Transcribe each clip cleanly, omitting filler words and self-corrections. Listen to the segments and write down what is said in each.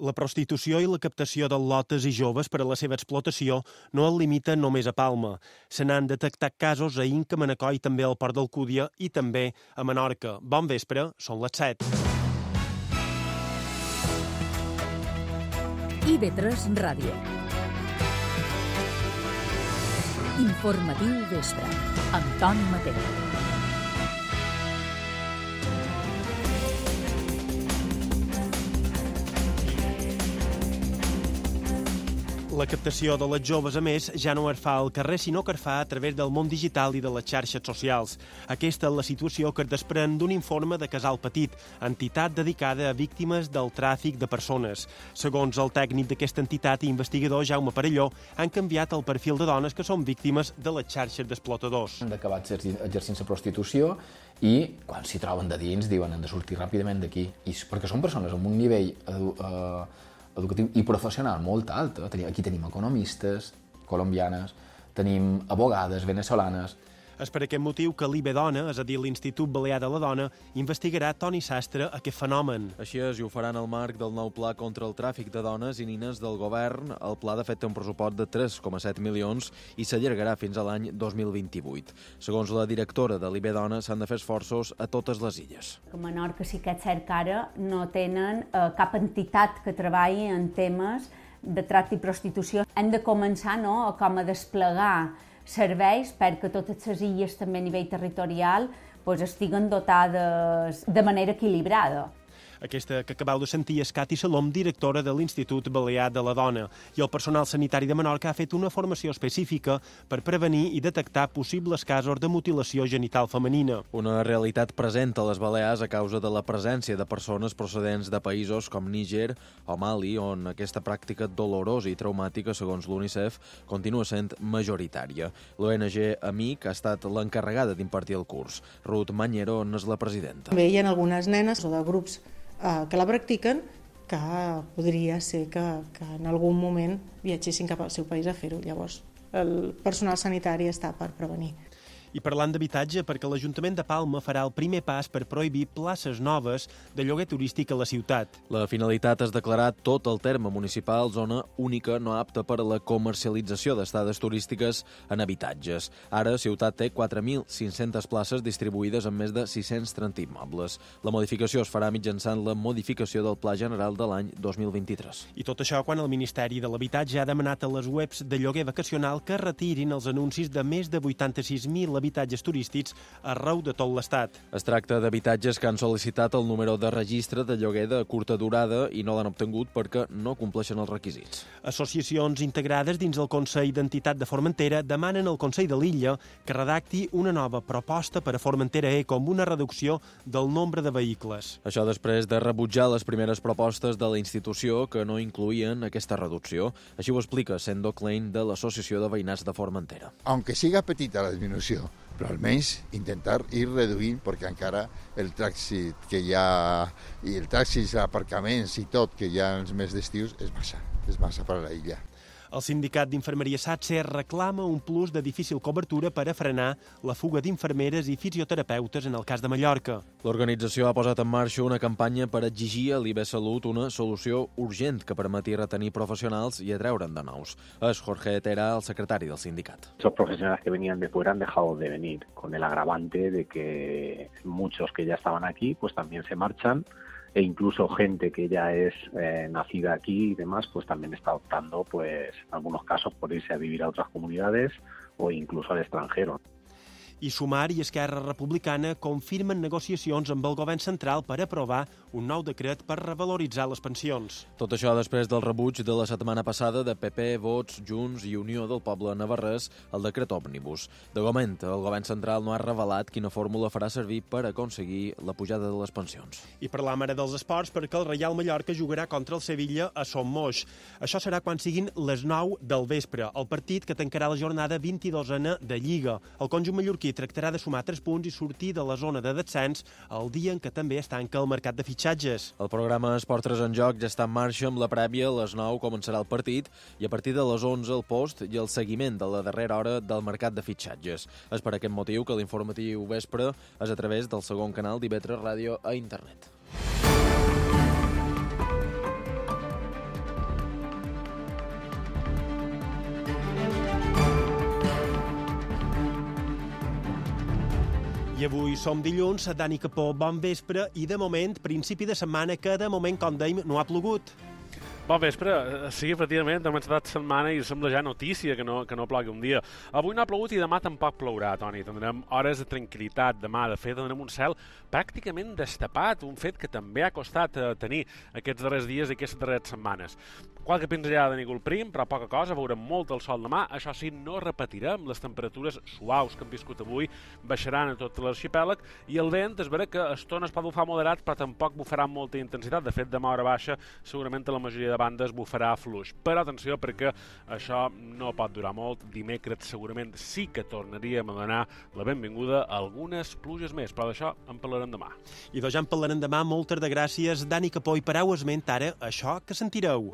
La prostitució i la captació d'al·lotes i joves per a la seva explotació no es limiten només a Palma. Se n'han detectat casos a Inca, Manacor i també al Port d'Alcúdia i també a Menorca. Bon vespre, són les 7. IB3 Ràdio. Informatiu vespre, amb Toni Mateu. La captació de les joves, a més, ja no es fa al carrer, sinó que es fa a través del món digital i de les xarxes socials. Aquesta és la situació que es desprèn d'un informe de Casal Petit, entitat dedicada a víctimes del tràfic de persones. Segons el tècnic d'aquesta entitat i investigador, Jaume Parelló, han canviat el perfil de dones que són víctimes de les xarxes d'explotadors. Han d'acabar exercint la prostitució i, quan s'hi troben de dins, diuen han de sortir ràpidament d'aquí. Perquè són persones amb un nivell educatiu i professional molt alt. Aquí tenim economistes colombianes, tenim abogades venezolanes. És per aquest motiu que l'IB-Dona, és a dir, l'Institut Balear de la Dona, investigarà Toni Sastre aquest fenomen. Així és, i ho faran al marc del nou pla contra el tràfic de dones i nines del govern. El pla, de fet, té un pressupost de 3,7 milions i s'allargarà fins a l'any 2028. Segons la directora de l'IB-Dona, s'han de fer esforços a totes les illes. A Menorca sí que és cert que ara no tenen cap entitat que treballi en temes de tracte i prostitució. Hem de començar com a desplegar serveis perquè totes les illes, també a nivell territorial, estiguen dotades de manera equilibrada. Aquesta que acabeu de sentir és Cati Salom, directora de l'Institut Balear de la Dona. I el personal sanitari de Menorca ha fet una formació específica per prevenir i detectar possibles casos de mutilació genital femenina. Una realitat present a les Balears a causa de la presència de persones procedents de països com Níger o Mali, on aquesta pràctica dolorosa i traumàtica, segons l'UNICEF, continua sent majoritària. L'ONG Amic ha estat l'encarregada d'impartir el curs. Ruth Mañero n'és la presidenta. Bé, hi ha algunes nenes o de grups que la practiquen, que podria ser que en algun moment viatgessin cap al seu país a fer-ho. Llavors, el personal sanitari està per prevenir. I parlant d'habitatge, perquè l'Ajuntament de Palma farà el primer pas per prohibir places noves de lloguer turístic a la ciutat. La finalitat és declarar tot el terme municipal zona única no apta per a la comercialització d'estades turístiques en habitatges. Ara, ciutat té 4.500 places distribuïdes en més de 630 immobles. La modificació es farà mitjançant la modificació del Pla General de l'any 2023. I tot això quan el Ministeri de l'Habitatge ha demanat a les webs de lloguer vacacional que retirin els anuncis de més de 86.000 habitatges turístics arreu de tot l'Estat. Es tracta d'habitatges que han sol·licitat el número de registre de lloguer de curta durada i no l'han obtingut perquè no compleixen els requisits. Associacions integrades dins el Consell d'Entitat de Formentera demanen al Consell de l'Illa que redacti una nova proposta per a Formentera com una reducció del nombre de vehicles. Això després de rebutjar les primeres propostes de la institució que no incloïen aquesta reducció. Així ho explica Sendo Klein de l'Associació de Veïnats de Formentera. Aunque siga petita la disminució, però almenys intentar ir reduint, perquè encara el trànsit que hi ha, i el trànsit, aparcaments i tot que hi ha els mesos d'estius és massa per a la illa. El sindicat d'infermeria SATSE reclama un plus de difícil cobertura per a frenar la fuga d'infermeres i fisioterapeutes en el cas de Mallorca. L'organització ha posat en marxa una campanya per exigir a l'IB Salut una solució urgent que permeti retenir professionals i atreure'n de nous. És Jorge Tera, el secretari del sindicat. Esos profesionales que venían de fuera han dejado de venir, con el agravante de que muchos que ya estaban aquí pues también se marchan, e incluso gente que ya es nacida aquí y demás, pues también está optando, pues en algunos casos, por irse a vivir a otras comunidades o incluso al extranjero. I Sumar i Esquerra Republicana confirmen negociacions amb el govern central per aprovar un nou decret per revaloritzar les pensions. Tot això després del rebuig de la setmana passada de PP, Vots, Junts i Unió del Poble Navarrès al decret òmnibus. De moment, el govern central no ha revelat quina fórmula farà servir per aconseguir la pujada de les pensions. I parlam ara dels esports perquè el Reial Mallorca jugarà contra el Sevilla a Son Moix. Això serà quan siguin les 9 del vespre, el partit que tancarà la jornada 22a de Lliga. El conjunt mallorquí tractarà de sumar 3 punts i sortir de la zona de descens el dia en què també es tanca el mercat de fitxatges. El programa Esport 3 en joc ja està en marxa amb la prèvia. A les 9 començarà el partit i a partir de les 11 el post i el seguiment de la darrera hora del mercat de fitxatges. És per aquest motiu que l'informatiu vespre és a través del segon canal d'IB3 Ràdio a internet. I avui som dilluns, Dani Capó, bon vespre, i de moment, principi de setmana, que de moment, com dèiem, no ha plogut. Bon vespre, sí, efectivament, hem estat setmana i sembla ja notícia que no plogui un dia. Avui no ha plogut i demà tampoc plourà, Toni. Tindrem hores de tranquil·litat demà. De fet, tindrem un cel pràcticament destapat, un fet que també ha costat tenir aquests darrers dies i aquestes darreres setmanes. Qualque pinzellada de núvol prim, però poca cosa, veurem molt el sol demà. Això sí, no repetirem, les temperatures suaus que hem viscut avui baixaran a tot l'arxipèlag i el vent es veurà que a estones pot bufar moderat, però tampoc bufarà amb molta intensitat. De fet, demà a hora baixa, segurament a la majoria de bandes bufarà fluix. Però atenció, perquè això no pot durar molt. Dimecres segurament sí que tornaríem a donar la benvinguda a algunes pluges més, però d'això en parlarem demà. I doncs ja en parlarem demà. Moltes de gràcies, Dani Capó, i pareu esment ara això que sentireu.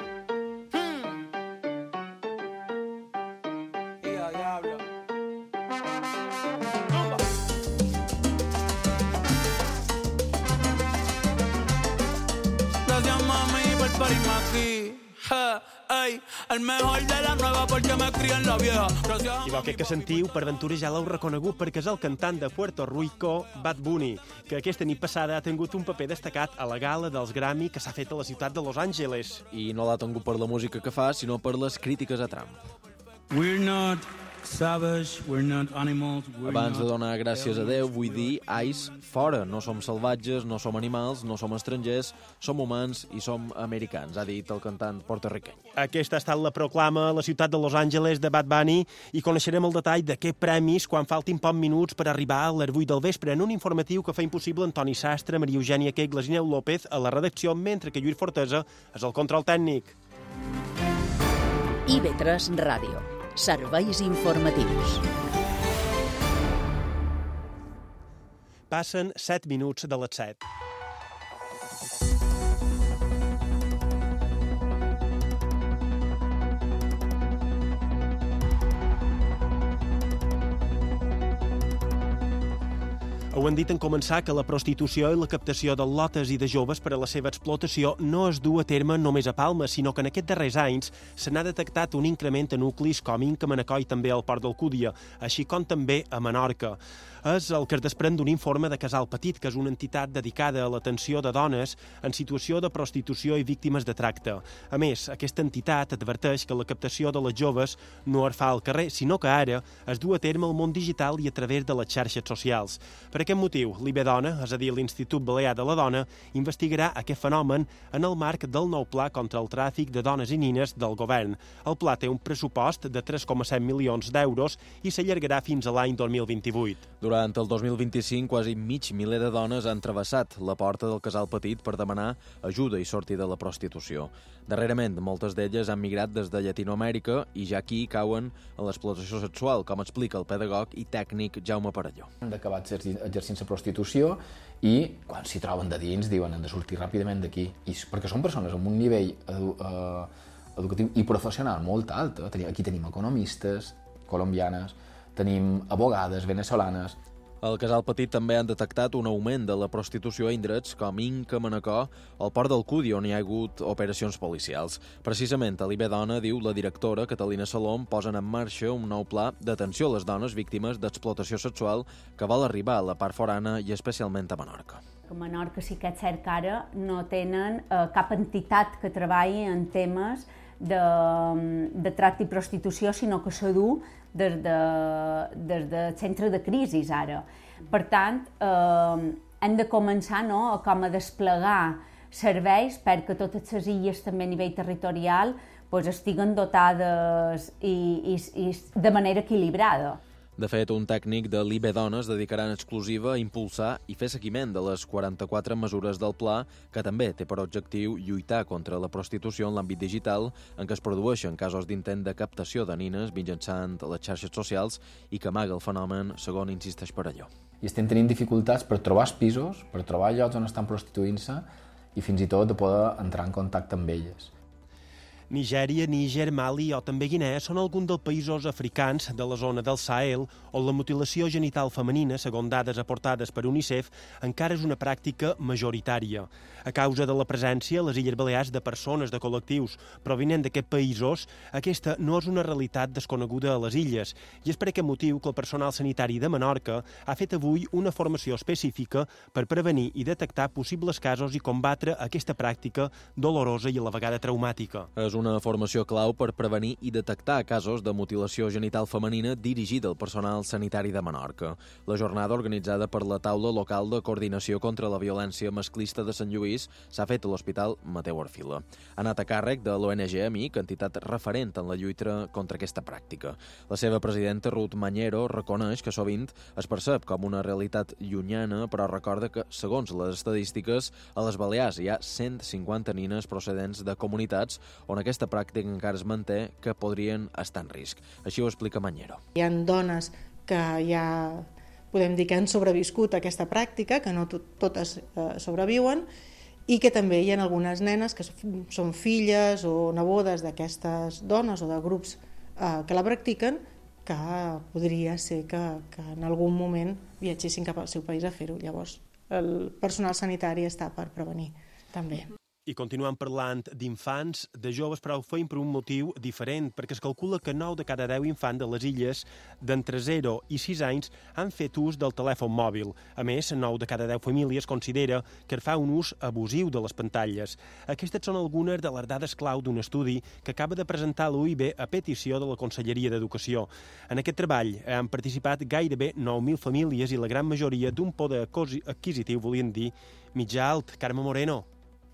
El mejor de la nueva porque me crié en la vieja. I aquest que sentiu, per ventura ja l'heu reconegut perquè és el cantant de Puerto Rico, Bad Bunny, que aquesta nit passada ha tingut un paper destacat a la gala dels Grammy que s'ha fet a la ciutat de Los Angeles. I no l'ha tingut per la música que fa, sinó per les crítiques a Trump. We're not savage, we're not animals, Abans de donar gràcies a Déu, vull dir, ais, fora. No som salvatges, no som animals, no som estrangers, som humans i som americans, ha dit el cantant porto-riqueny. Aquesta ha estat la proclama a la ciutat de Los Angeles de Bad Bunny i coneixerem el detall de què premis quan faltin pocs minuts per arribar a les 8 del vespre en un informatiu que fa impossible Antoni Sastre, Maria Eugènia Quegles i Neu López a la redacció, mentre que Lluís Fortesa és el control tècnic. IB3 Ràdio. Serveis informatius. Passen 7 minuts de les 7. Ho han dit en començar que la prostitució i la captació de lotes i de joves per a la seva explotació no es du a terme només a Palma, sinó que en aquests darrers anys se n'ha detectat un increment a nuclis com Inca, Manacor i també al Port d'Alcúdia, així com també a Menorca. És el que es desprèn d'un informe de Casal Petit, que és una entitat dedicada a l'atenció de dones en situació de prostitució i víctimes de tracte. A més, aquesta entitat adverteix que la captació de les joves no es fa al carrer, sinó que ara es du a terme al món digital i a través de les xarxes socials. Per aquest motiu, l'IBDona, és a dir, l'Institut Balear de la Dona, investigarà aquest fenomen en el marc del nou pla contra el tràfic de dones i nines del govern. El pla té un pressupost de 3,7 milions d'euros i s'allargarà fins a l'any 2028. Durant el 2025, quasi mig miler de dones han travessat la porta del Casal Petit per demanar ajuda i sortir de la prostitució. Darrerament, moltes d'elles han migrat des de Llatinoamèrica i ja aquí cauen en l'explotació sexual, com explica el pedagog i tècnic Jaume Parelló. Han d'acabar exercint la prostitució i quan s'hi troben de dins diuen han de sortir ràpidament d'aquí. Perquè són persones amb un nivell educatiu i professional molt alt. Aquí tenim economistes colombianes, tenim abogades venezolanes. Al Casal Petit també han detectat un augment de la prostitució a indrets com Inca, Manacor, al Port d'Alcúdia, on hi ha hagut operacions policials. Precisament a l'IBDona, diu la directora Catalina Salom, posen en marxa un nou pla d'atenció a les dones víctimes d'explotació sexual que vol arribar a la part forana i especialment a Menorca. A Menorca sí que és cert que ara no tenen cap entitat que treballi en temes de tracte i prostitució, sinó que s'ha du des del centre de crisi ara. Per tant, hem de començar com a desplegar serveis perquè totes les illes també a nivell territorial estiguen dotades i de manera equilibrada. De fet, un tècnic de l'IBDona es dedicarà en exclusiva a impulsar i fer seguiment de les 44 mesures del pla, que també té per objectiu lluitar contra la prostitució en l'àmbit digital, en què es produeixen casos d'intent de captació de nines mitjançant les xarxes socials i que amaga el fenomen, segons insisteix Parelló. I estem tenint dificultats per trobar pisos, per trobar llocs on estan prostituint-se i fins i tot de poder entrar en contacte amb elles. Nigèria, Níger, Mali o també Guinea són alguns dels països africans de la zona del Sahel on la mutilació genital femenina, segons dades aportades per UNICEF, encara és una pràctica majoritària. A causa de la presència a les Illes Balears de persones de col·lectius provinents d'aquests països, aquesta no és una realitat desconeguda a les illes i és per aquest motiu que el personal sanitari de Menorca ha fet avui una formació específica per prevenir i detectar possibles casos i combatre aquesta pràctica dolorosa i a la vegada traumàtica. És una formació clau per prevenir i detectar casos de mutilació genital femenina dirigida al personal sanitari de Menorca. La jornada, organitzada per la taula local de coordinació contra la violència masclista de Sant Lluís, s'ha fet a l'Hospital Mateu Arfila. Ha anat a càrrec de l'ONG Amic, entitat referent en la lluita contra aquesta pràctica. La seva presidenta, Ruth Mañero, reconeix que sovint es percep com una realitat llunyana, però recorda que, segons les estadístiques, a les Balears hi ha 150 nines procedents de comunitats on aquesta pràctica encara es manté que podrien estar en risc. Així ho explica Mañero. Hi ha dones que ja podem dir que han sobreviscut a aquesta pràctica, que no totes sobreviuen, i que també hi ha algunes nenes que són filles o nebodes d'aquestes dones o de grups que la practiquen, que podria ser que en algun moment viatgessin cap al seu país a fer-ho. Llavors, el personal sanitari està per prevenir també. I continuem parlant d'infants, de joves, però ho feim per un motiu diferent, perquè es calcula que 9 de cada 10 infants de les illes d'entre 0 i 6 anys han fet ús del telèfon mòbil. A més, 9 de cada 10 famílies considera que es fa un ús abusiu de les pantalles. Aquestes són algunes de les dades clau d'un estudi que acaba de presentar l'UIB a petició de la Conselleria d'Educació. En aquest treball han participat gairebé 9.000 famílies i la gran majoria d'un poder adquisitiu, volien dir, mitjà alt. Carme Moreno.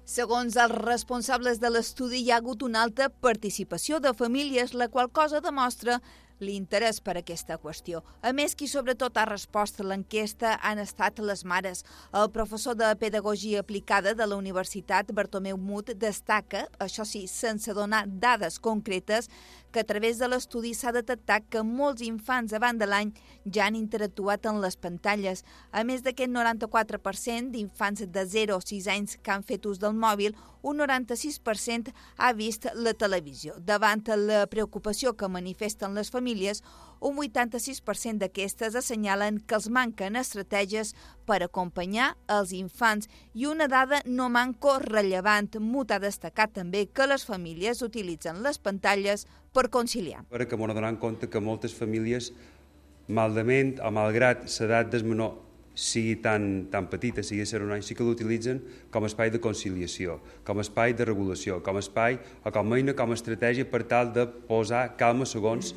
Segons els responsables de l'estudi, hi ha hagut una alta participació de famílies, la qual cosa demostra l'interès per aquesta qüestió. A més, qui sobretot ha respost a l'enquesta han estat les mares. El professor de Pedagogia Aplicada de la Universitat, Bartomeu Mut, destaca, això sí, sense donar dades concretes, que a través de l'estudi s'ha detectat que molts infants abans de l'any ja han interactuat en les pantalles. A més d'aquest 94% d'infants de 0 a 6 anys que han fet ús del mòbil, un 96% ha vist la televisió. Davant la preocupació que manifesten les famílies, un 86% d'aquestes assenyalen que els manquen estratègies per acompanyar els infants i una dada no manco rellevant. Mut ha destacat també que les famílies utilitzen les pantalles per conciliar. Perquè m'ho donem compte que moltes famílies, malament o malgrat l'edat del menor sigui tan petita, sigui ser un any, sí que l'utilitzen com a espai de conciliació, com a espai de regulació, com a espai o com a eina, com a estratègia per tal de posar calma segons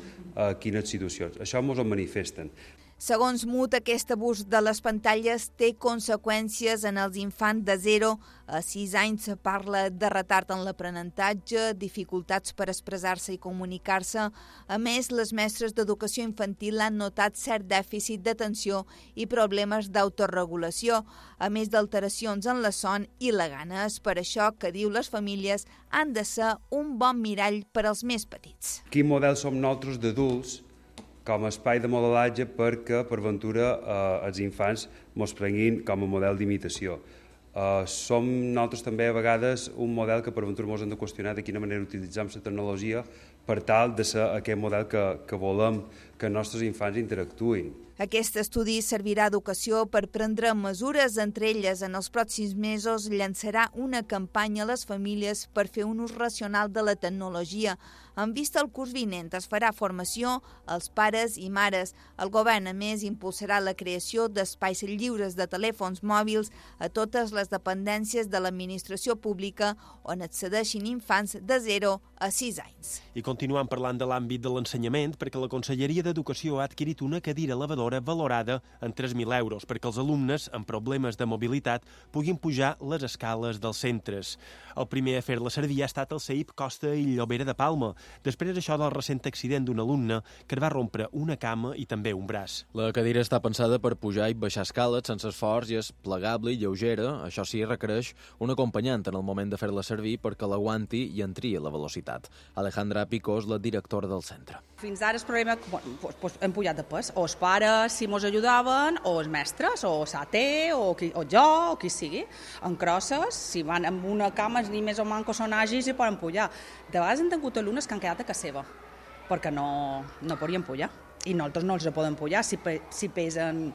quines situacions. Això ens ho manifesten. Segons Mut, aquest abús de les pantalles té conseqüències en els infants de 0 a 6 anys. Parla de retard en l'aprenentatge, dificultats per expressar-se i comunicar-se. A més, les mestres d'educació infantil han notat cert dèficit d'atenció i problemes d'autoregulació, a més d'alteracions en la son i la gana. És per això que, diu, les famílies han de ser un bon mirall per als més petits. Quin model som nosaltres d'adults com a espai de modelatge perquè, per ventura, els infants ens prenguin com a model d'imitació. Som nosaltres també a vegades un model que per ventura ens hem de qüestionar de quina manera utilitzem la tecnologia per tal de ser aquest model que volem que els nostres infants interactuïn. Aquest estudi servirà a Educació per prendre mesures, entre elles en els pròxims mesos llançarà una campanya a les famílies per fer un ús racional de la tecnologia. En vista al curs vinent es farà formació als pares i mares. El govern, a més, impulsarà la creació d'espais lliures de telèfons mòbils a totes les dependències de l'administració pública on accedeixin infants de 0 a 6 anys. I continuem parlant de l'àmbit de l'ensenyament perquè la Conselleria d'Educació ha adquirit una cadira elevadora valorada en 3.000 euros perquè els alumnes amb problemes de mobilitat puguin pujar les escales dels centres. El primer a fer-la servir ha estat el CEIP Costa i Llobera de Palma, després d'això del recent accident d'un alumne que va rompre una cama i també un braç. La cadira està pensada per pujar i baixar escales sense esforç i és plegable i lleugera. Això sí, requereix un acompanyant en el moment de fer-la servir perquè l'aguanti i entri a la velocitat. Alejandra Picó és la directora del centre. Fins ara el problema hem pujat de pes, o el pare si mos ajudaven o els mestres, o Sate, o jo, o qui sigui. En crosses, si van amb una cama ni més o manco són àgils i poden pujar. De vegades hem tingut alumnes que han quedat a casa seva, perquè no podien pujar. I nosaltres no els podem pujar si pesen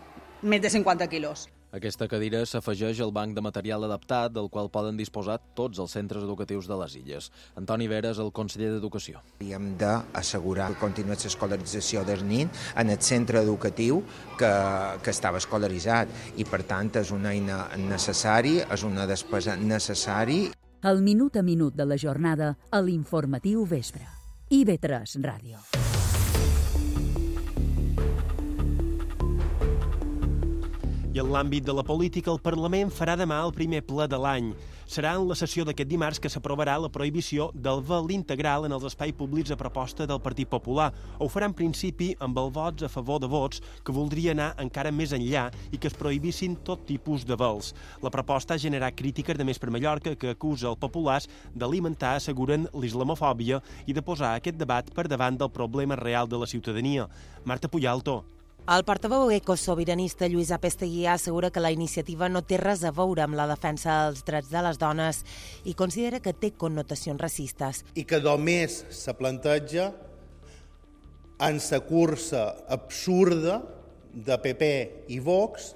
més de 50 quilos. Aquesta cadira s'afegeix al banc de material adaptat del qual poden disposar tots els centres educatius de les Illes. Antoni Vera és el conseller d'Educació. Hem d'assegurar que continuï l'escolarització del nin en el centre educatiu que estava escolaritzat i, per tant, és una eina necessària, és una despesa necessària. El minut a minut de la jornada a l'Informatiu Vespre. IB3 Ràdio. I en l'àmbit de la política, el Parlament farà demà el primer ple de l'any. Serà en la sessió d'aquest dimarts que s'aprovarà la prohibició del vel integral en els espais públics a proposta del Partit Popular. Ho farà en principi amb el vots a favor de vots que voldria anar encara més enllà i que es prohibissin tot tipus de vels. La proposta ha generat crítiques de Més per Mallorca que acusa els populars d'alimentar, asseguren, l'islamofòbia i de posar aquest debat per davant del problema real de la ciutadania. Marta Puyalto. El portaveu ecosobiranista Lluís Apesteguià assegura que la iniciativa no té res a veure amb la defensa dels drets de les dones i considera que té connotacions racistes. I que només se planteja en la cursa absurda de PP i Vox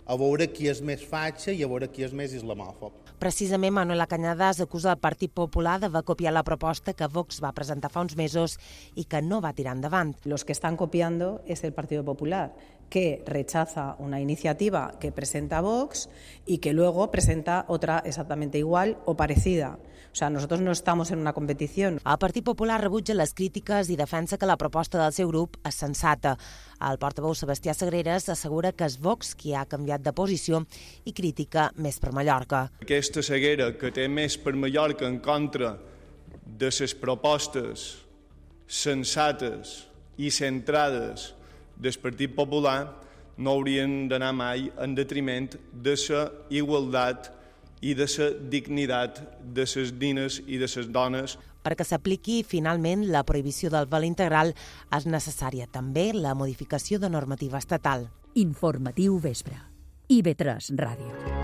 a veure qui és més fatxa i a veure qui és més islamòfob. Precisament, Manuela Cañadas acusa el Partit Popular d'haver copiat la proposta que Vox va presentar fa uns mesos i que no va tirar endavant. Los que están copiando es el Partido Popular, que rechaza una iniciativa que presenta Vox y que luego presenta otra exactamente igual o parecida. O sea, nosotros no estamos en una competición. El Partit Popular rebutja les crítiques i defensa que la proposta del seu grup és sensata. El portaveu Sebastià Sagreras assegura que és Vox qui ha canviat de posició i critica Més per Mallorca. Aquesta ceguera que té Més per Mallorca en contra de les propostes sensates i centrades del Partit Popular no haurien d'anar mai en detriment de la igualtat i de la dignitat de les nines i de les dones. Perquè s'apliqui finalment la prohibició del vel integral és necessària també la modificació de normativa estatal. Informatiu Vespre. IB3 Ràdio.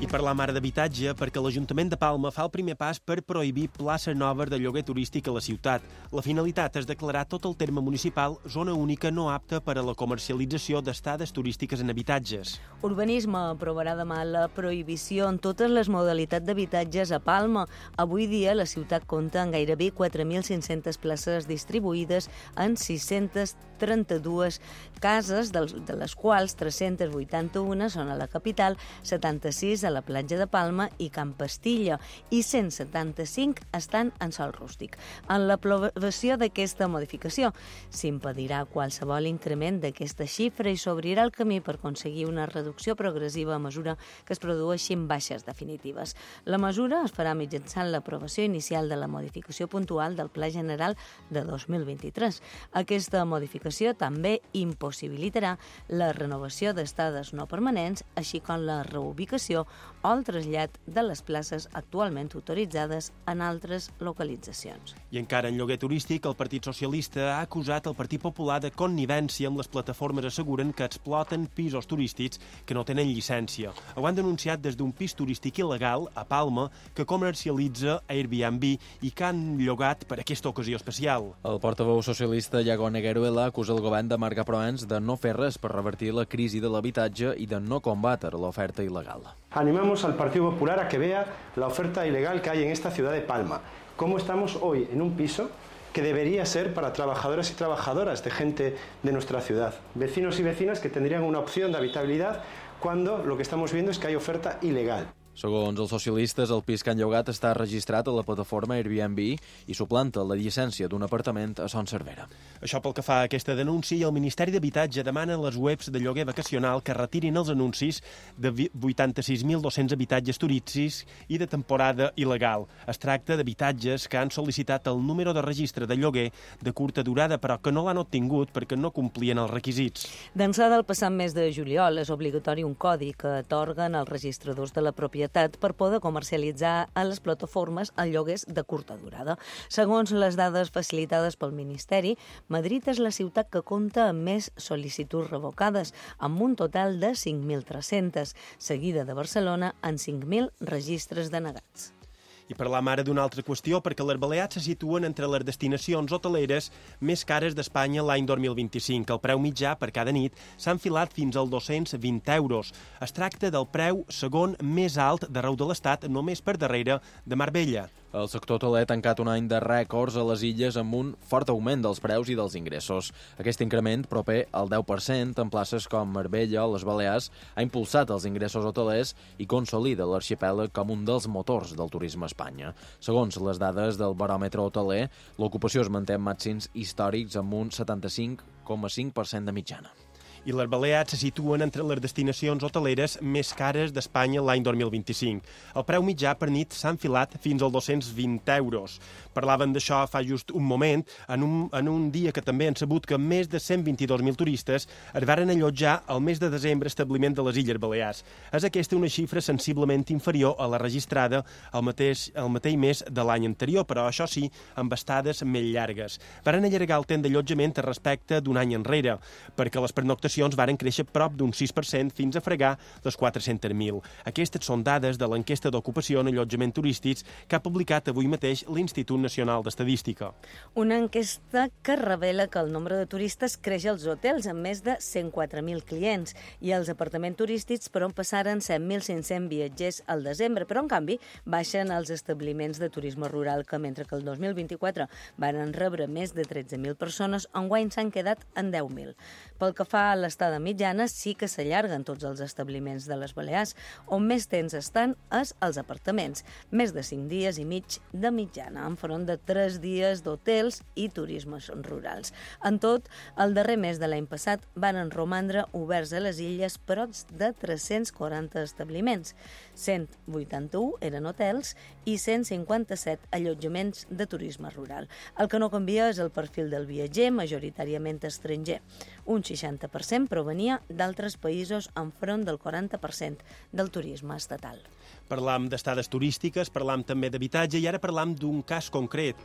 I parlam ara d'habitatge perquè l'Ajuntament de Palma fa el primer pas per prohibir places noves de lloguer turístic a la ciutat. La finalitat és declarar tot el terme municipal zona única no apta per a la comercialització d'estades turístiques en habitatges. Urbanisme aprovarà demà la prohibició en totes les modalitats d'habitatges a Palma. Avui dia la ciutat compta amb gairebé 4.500 places distribuïdes en 632 cases, de les quals 381 són a la capital, 76 a la platja de Palma i Camp Pastilla i 175 estan en sòl rústic. En l'aprovació d'aquesta modificació s'impedirà qualsevol increment d'aquesta xifra i s'obrirà el camí per aconseguir una reducció progressiva a mesura que es produeixin baixes definitives. La mesura es farà mitjançant l'aprovació inicial de la modificació puntual del Pla General de 2023. Aquesta modificació també impossibilitarà la renovació d'estades no permanents, així com la reubicació o el trasllat de les places actualment autoritzades en altres localitzacions. I encara en lloguer turístic, el Partit Socialista ha acusat el Partit Popular de connivència amb les plataformes asseguren que exploten pisos turístics que no tenen llicència. Ho han denunciat des d'un pis turístic il·legal a Palma que comercialitza Airbnb i que han llogat per aquesta ocasió especial. El portaveu socialista Iago Negueruela acusa el govern de Marga Proens de no fer res per revertir la crisi de l'habitatge i de no combatre l'oferta il·legal. Animamos al Partido Popular a que vea la oferta ilegal que hay en esta ciudad de Palma. Cómo estamos hoy en un piso que debería ser para trabajadores y trabajadoras de gente de nuestra ciudad. Vecinos y vecinas que tendrían una opción de habitabilidad cuando lo que estamos viendo es que hay oferta ilegal. Segons els socialistes, el pis que han llogat està registrat a la plataforma Airbnb i suplanta la llicència d'un apartament a Son Cervera. Això pel que fa a aquesta denúncia, el Ministeri d'Habitatge demana a les webs de lloguer vacacional que retirin els anuncis de 86.200 habitatges turístics i de temporada il·legal. Es tracta d'habitatges que han sol·licitat el número de registre de lloguer de curta durada, però que no l'han obtingut perquè no complien els requisits. D'ençà del passat mes de juliol és obligatori un codi que atorguen els registradors de la propietat propietat per poder comercialitzar a les plataformes el lloguers de curta durada. Segons les dades facilitades pel Ministeri, Madrid és la ciutat que compta amb més sol·licituds revocades, amb un total de 5.300, seguida de Barcelona amb 5.000 registres denegats. I parlam ara d'una altra qüestió, perquè les Balears se situen entre les destinacions hoteleres més cares d'Espanya l'any 2025. El preu mitjà per cada nit s'ha enfilat fins als 220 euros. Es tracta del preu segon més alt d'arreu de l'Estat, només per darrere de Marbella. El sector hoteler ha tancat un any de rècords a les illes amb un fort augment dels preus i dels ingressos. Aquest increment, proper al 10% en places com Marbella o les Balears, ha impulsat els ingressos hotelers i consolida l'arxipèlag com un dels motors del turisme a Espanya. Segons les dades del baròmetre hoteler, l'ocupació es manté en màxims històrics amb un 75,5% de mitjana. I les Balears se situen entre les destinacions hoteleres més cares d'Espanya l'any 2025. El preu mitjà per nit s'ha enfilat fins als 220 euros. Parlaven d'això fa just un moment, en un dia que també han sabut que més de 122.000 turistes es varen allotjar al mes de desembre a establiment de les Illes Balears. És aquesta una xifra sensiblement inferior a la registrada el mateix mes de l'any anterior, però això sí, amb estades més llargues. Varen allargar el temps d'allotjament respecte d'un any enrere, perquè les pernoctacions varen créixer prop d'un 6% fins a fregar les 400.000. Aquestes són dades de l'enquesta d'ocupació en allotjament turístics que ha publicat avui mateix l'Institut Nacional d'Estadística. Una enquesta que revela que el nombre de turistes creix als hotels amb més de 104.000 clients i als apartaments turístics per on passaren 7.500 viatgers al desembre, però en canvi baixen els establiments de turisme rural que mentre que el 2024 van rebre més de 13.000 persones, enguany s'han quedat en 10.000. Pel que fa a l'estada mitjana, sí que s'allarguen tots els establiments de les Balears. On més temps estan és als apartaments, més de 5 dies i mig de mitjana, enfront de 3 dies d'hotels i turismes rurals. En tot, el darrer mes de l'any passat van romandre oberts a les illes prop de 340 establiments. 181 eren hotels i 157 allotjaments de turisme rural. El que no canvia és el perfil del viatger, majoritàriament estranger. Un 60% provenia d'altres països enfront del 40% del turisme estatal. Parlam d'estades turístiques, parlam també d'habitatge i ara parlam d'un cas concret,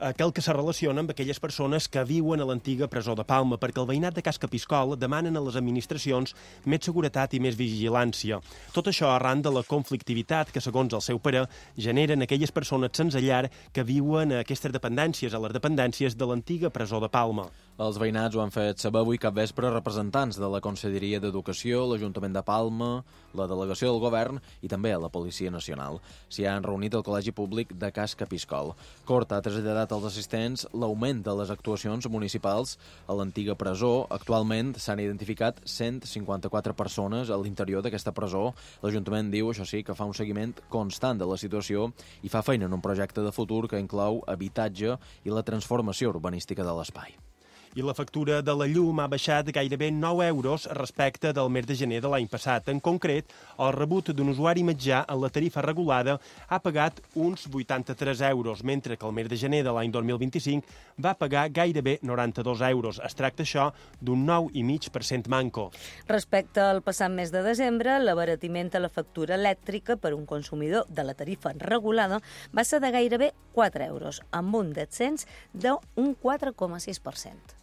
aquell que se relaciona amb aquelles persones que viuen a l'antiga presó de Palma, perquè el veïnat de Cas Capiscol demanen a les administracions més seguretat i més vigilància. Tot això arran de la conflictivitat que, segons el seu pare, generen aquelles persones sense llar que viuen a aquestes dependències, a les dependències de l'antiga presó de Palma. Els veïnats ho han fet saber avui capvespre representants de la Conselleria d'Educació, l'Ajuntament de Palma, la Delegació del Govern i també la Policia Nacional. S'hi han reunit al Col·legi Públic de Cas Capiscol. Cort ha traslladat als assistents l'augment de les actuacions municipals a l'antiga presó. Actualment s'han identificat 154 persones a l'interior d'aquesta presó. L'Ajuntament diu, això sí, que fa un seguiment constant de la situació i fa feina en un projecte de futur que inclou habitatge i la transformació urbanística de l'espai. I la factura de la llum ha baixat gairebé 9 euros respecte del mes de gener de l'any passat. En concret, el rebut d'un usuari mitjà en la tarifa regulada ha pagat uns 83 euros, mentre que el mes de gener de l'any 2025 va pagar gairebé 92 euros. Es tracta això d'un 9,5% manco. Respecte al passat mes de desembre, l'abaratiment a la factura elèctrica per un consumidor de la tarifa regulada va ser de gairebé 4 euros, amb un descens d'un 4,6%.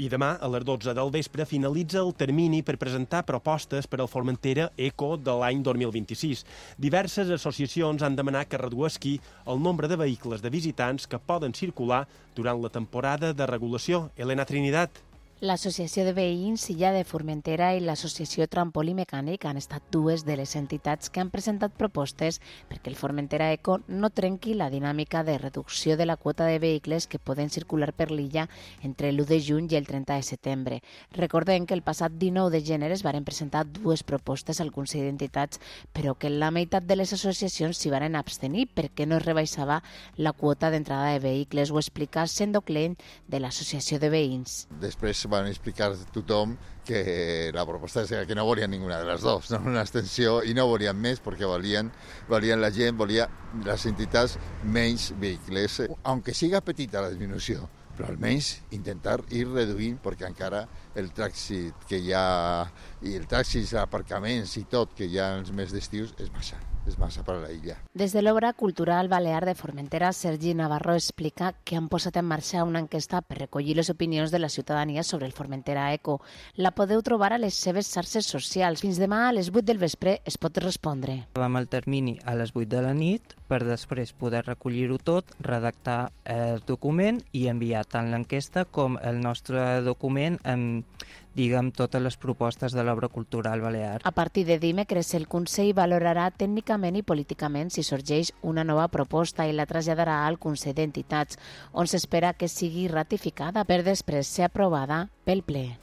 I demà, a les 12 del vespre, finalitza el termini per presentar propostes per al Formentera Eco de l'any 2026. Diverses associacions han demanat que redueixi el nombre de vehicles de visitants que poden circular durant la temporada de regulació. Elena Trinidad. L'Associació de Veïns Illa de Formentera i l'Associació Trampolí Mecànic han estat dues de les entitats que han presentat propostes perquè el Formentera Eco no trenqui la dinàmica de reducció de la quota de vehicles que poden circular per l'illa entre l'1 de juny i el 30 de setembre. Recordem que el passat 19 de gener es varen presentar dues propostes al Consell d'Entitats, però que la meitat de les associacions s'hi varen abstenir perquè no es rebaixava la quota d'entrada de vehicles. Ho explica Sendo Klein de l'Associació de Veïns. Després van explicar a tothom que la proposta és que no volien ninguna de les dues, no una extensió i no volien més perquè volien la gent, volien les entitats menys vehicles. Aunque siga petita la disminució, però almenys intentar ir reduint, perquè encara el trànsit que hi ha, i el trànsit, aparcaments i tot que hi ha els mesos d'estius és massa per a la illa. Des de l'Obra Cultural Balear de Formentera, Sergi Navarro explica que han posat en marxa una enquesta per recollir les opinions de la ciutadania sobre el Formentera Eco. La podeu trobar a les seves xarxes socials. Fins demà a les 8 del vespre es pot respondre. Vam el termini a les 8 de la nit per després poder recollir-ho tot, redactar el document i enviar tant l'enquesta com el nostre document amb totes les propostes de l'Obra Cultural Balear. A partir de dimecres, el Consell valorarà tècnicament i políticament si sorgeix una nova proposta i la traslladarà al Consell d'Entitats, on s'espera que sigui ratificada per després ser aprovada pel ple.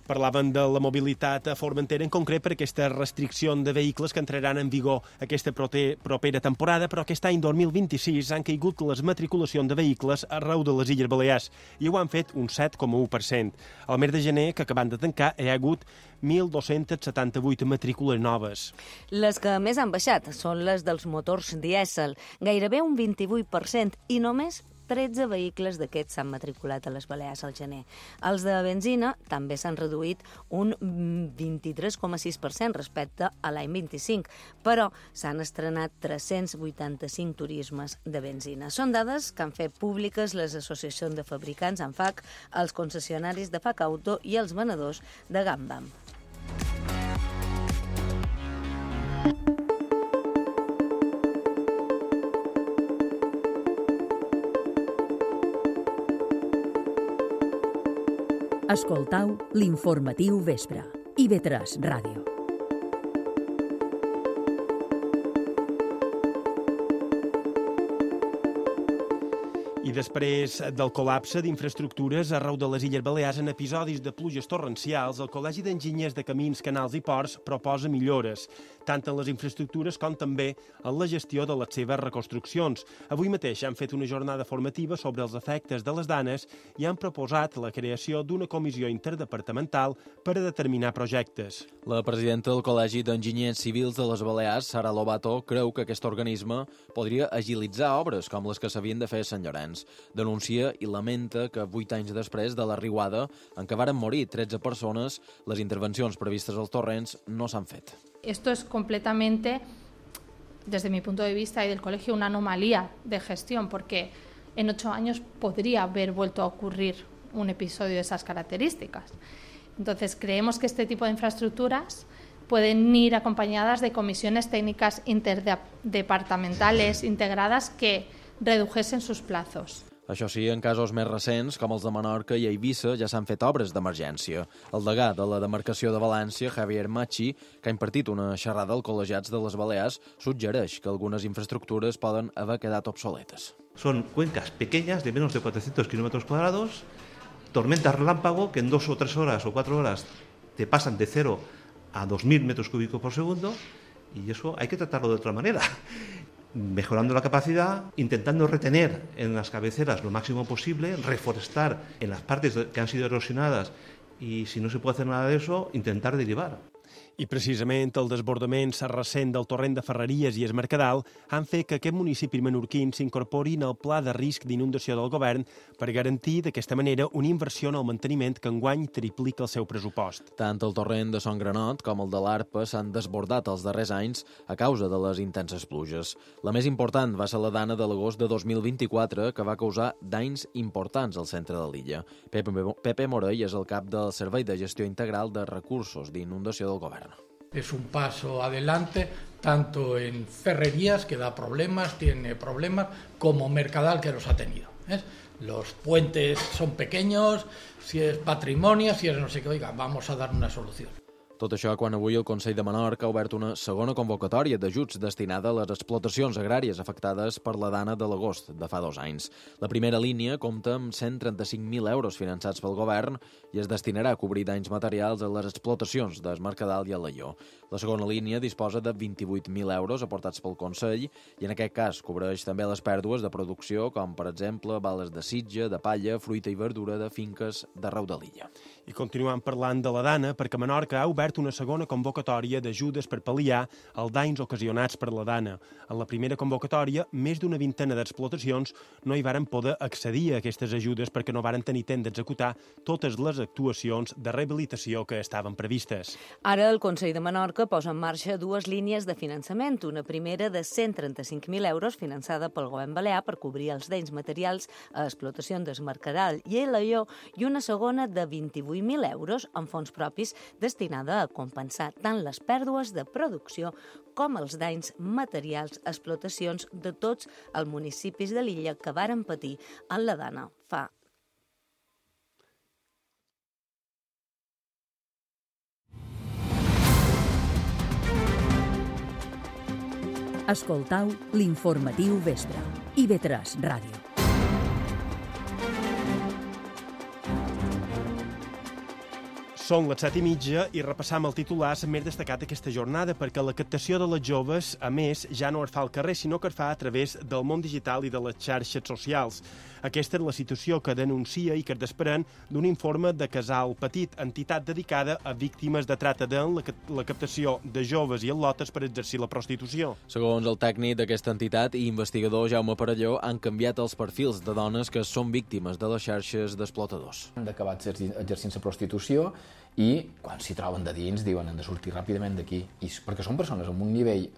Parlaven de la mobilitat a Formentera, en concret per aquesta restricció de vehicles que entraran en vigor aquesta propera temporada, però aquest any 2026 han caigut les matriculacions de vehicles arreu de les Illes Balears i ho han fet un 7,1%. Al mes de gener, que acabant de tancar, hi ha hagut 1.278 matrícules noves. Les que més han baixat són les dels motors dièsel, gairebé un 28%, i només 13 vehicles d'aquests s'han matriculat a les Balears al gener. Els de benzina també s'han reduït un 23,6% respecte a l'any 25, però s'han estrenat 385 turismes de benzina. Són dades que han fet públiques les associacions de fabricants ANFAC, els concessionaris de FAC Auto i els venedors de Gambam. Escoltau l'informatiu vespre. IB3 Ràdio. I després del col·lapse d'infraestructures arreu de les Illes Balears en episodis de pluges torrencials, el Col·legi d'Enginyers de Camins, Canals i Ports proposa millores, tant en les infraestructures com també en la gestió de les seves reconstruccions. Avui mateix han fet una jornada formativa sobre els efectes de les danes i han proposat la creació d'una comissió interdepartamental per a determinar projectes. La presidenta del Col·legi d'Enginyers Civils de les Balears, Sara Lobato, creu que aquest organisme podria agilitzar obres com les que s'havien de fer a Sant Llorenç. Denuncia i lamenta que 8 anys després de la riuada, en què varen morir 13 persones, les intervencions previstes als torrents no s'han fet. Esto es completamente, desde mi punto de vista y del colegio, una anomalía de gestión, porque en 8 años podría haber vuelto a ocurrir un episodio de esas características. Entonces, creemos que este tipo de infraestructuras pueden ir acompañadas de comisiones técnicas interdepartamentales integradas que redujesen sus plazos. Això sí, en casos més recents, com els de Menorca i Eivissa, ja s'han fet obres d'emergència. El degà de la demarcació de València, Javier Machi, que ha impartit una xerrada als col·legiats de les Balears, suggereix que algunes infraestructures poden haver quedat obsoletes. Son cuencas pequeñas de menos de 400 kilómetros cuadrados, tormentas relámpago que en 2 o 3 horas o 4 horas te pasan de 0 a 2.000 metros cúbicos por segundo, y eso hay que tratarlo de otra manera. Mejorando la capacidad, intentando retener en las cabeceras lo máximo posible, reforestar en las partes que han sido erosionadas y, si no se puede hacer nada de eso, intentar derivar. I precisament el desbordament recent del torrent de Ferreries i es Mercadal han fet que aquest municipi menorquín s'incorporin al pla de risc d'inundació del govern per garantir d'aquesta manera una inversió en el manteniment que enguany triplica el seu pressupost. Tant el torrent de Son Granot com el de l'Arpa s'han desbordat els darrers anys a causa de les intenses pluges. La més important va ser la dana de l'agost de 2024, que va causar danys importants al centre de l'illa. Pepe Morell és el cap del Servei de Gestió Integral de Recursos d'Inundació del Govern. Es un paso adelante, tanto en Ferrerías, que da problemas, tiene problemas, como Mercadal, que los ha tenido. Los puentes son pequeños, si es patrimonio, si es no sé qué, oiga, vamos a dar una solución. Tot això quan avui el Consell de Menorca ha obert una segona convocatòria d'ajuts destinada a les explotacions agràries afectades per la dana de l'agost de fa 2 anys. La primera línia compta amb 135.000 euros finançats pel govern i es destinarà a cobrir danys materials a les explotacions d'Es Mercadal i Alaior. La segona línia disposa de 28.000 euros aportats pel Consell i en aquest cas cobreix també les pèrdues de producció, com per exemple bales de sitge, de palla, fruita i verdura de finques d'arreu de l'illa. I continuant parlant de la dana, perquè Menorca ha obert obert una segona convocatòria d'ajudes per pal·liar els danys ocasionats per la dana. En la primera convocatòria, més d'una vintena d'explotacions no hi varen poder accedir a aquestes ajudes perquè no varen tenir temps d'executar totes les actuacions de rehabilitació que estaven previstes. Ara el Consell de Menorca posa en marxa dues línies de finançament. Una primera de 135.000 euros finançada pel govern balear per cobrir els danys materials a explotacions del Mercadal i Alaior, i una segona de 28.000 euros en fons propis destinada a compensar tant les pèrdues de producció com els danys materials a explotacions de tots els municipis de l'illa que varen patir en la dana fa. Escoltau l'informatiu vespre. IB3 Ràdio. Són les 7:30 i repassam el titular més destacat aquesta jornada perquè la captació de les joves, a més, ja no es fa al carrer, sinó que es fa a través del món digital i de les xarxes socials. Aquesta és la situació que denuncia i que es desprèn d'un informe de Casal Petit, entitat dedicada a víctimes de trata de la captació de joves i al·lotes per exercir la prostitució. Segons el tècnic d'aquesta entitat i investigador Jaume Parelló, han canviat els perfils de dones que són víctimes de les xarxes d'explotadors. Han d'acabar exercint la prostitució i quan s'hi troben de dins diuen han de sortir ràpidament d'aquí, perquè són persones amb un nivell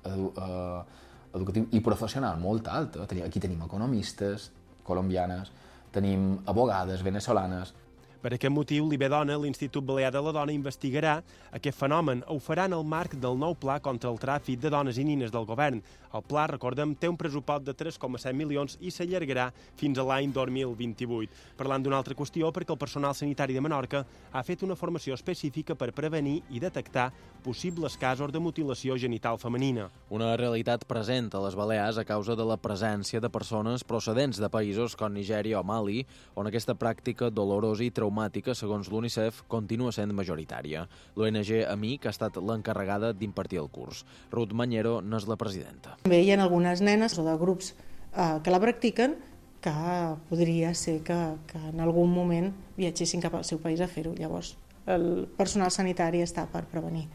educatiu i professional molt alt. Aquí tenim economistes colombianes, tenim abogades venezolanes. Per aquest motiu, l'IBDona, l'Institut Balear de la Dona, investigarà aquest fenomen. Ho farà en el marc del nou pla contra el tràfic de dones i nines del govern. El pla, recordem, té un pressupost de 3,7 milions i s'allargarà fins a l'any 2028. Parlant d'una altra qüestió, perquè el personal sanitari de Menorca ha fet una formació específica per prevenir i detectar possibles casos de mutilació genital femenina. Una realitat present a les Balears a causa de la presència de persones procedents de països com Nigèria o Mali, on aquesta pràctica dolorosa i traumàtica, segons l'UNICEF, continua sent majoritària. L'ONG AMIC ha estat l'encarregada d'impartir el curs. Ruth Mañero n'és la presidenta. També hi ha algunes nenes o de grups que la practiquen que podria ser que en algun moment viatgessin cap al seu país a fer-ho. Llavors, el personal sanitari està per prevenir.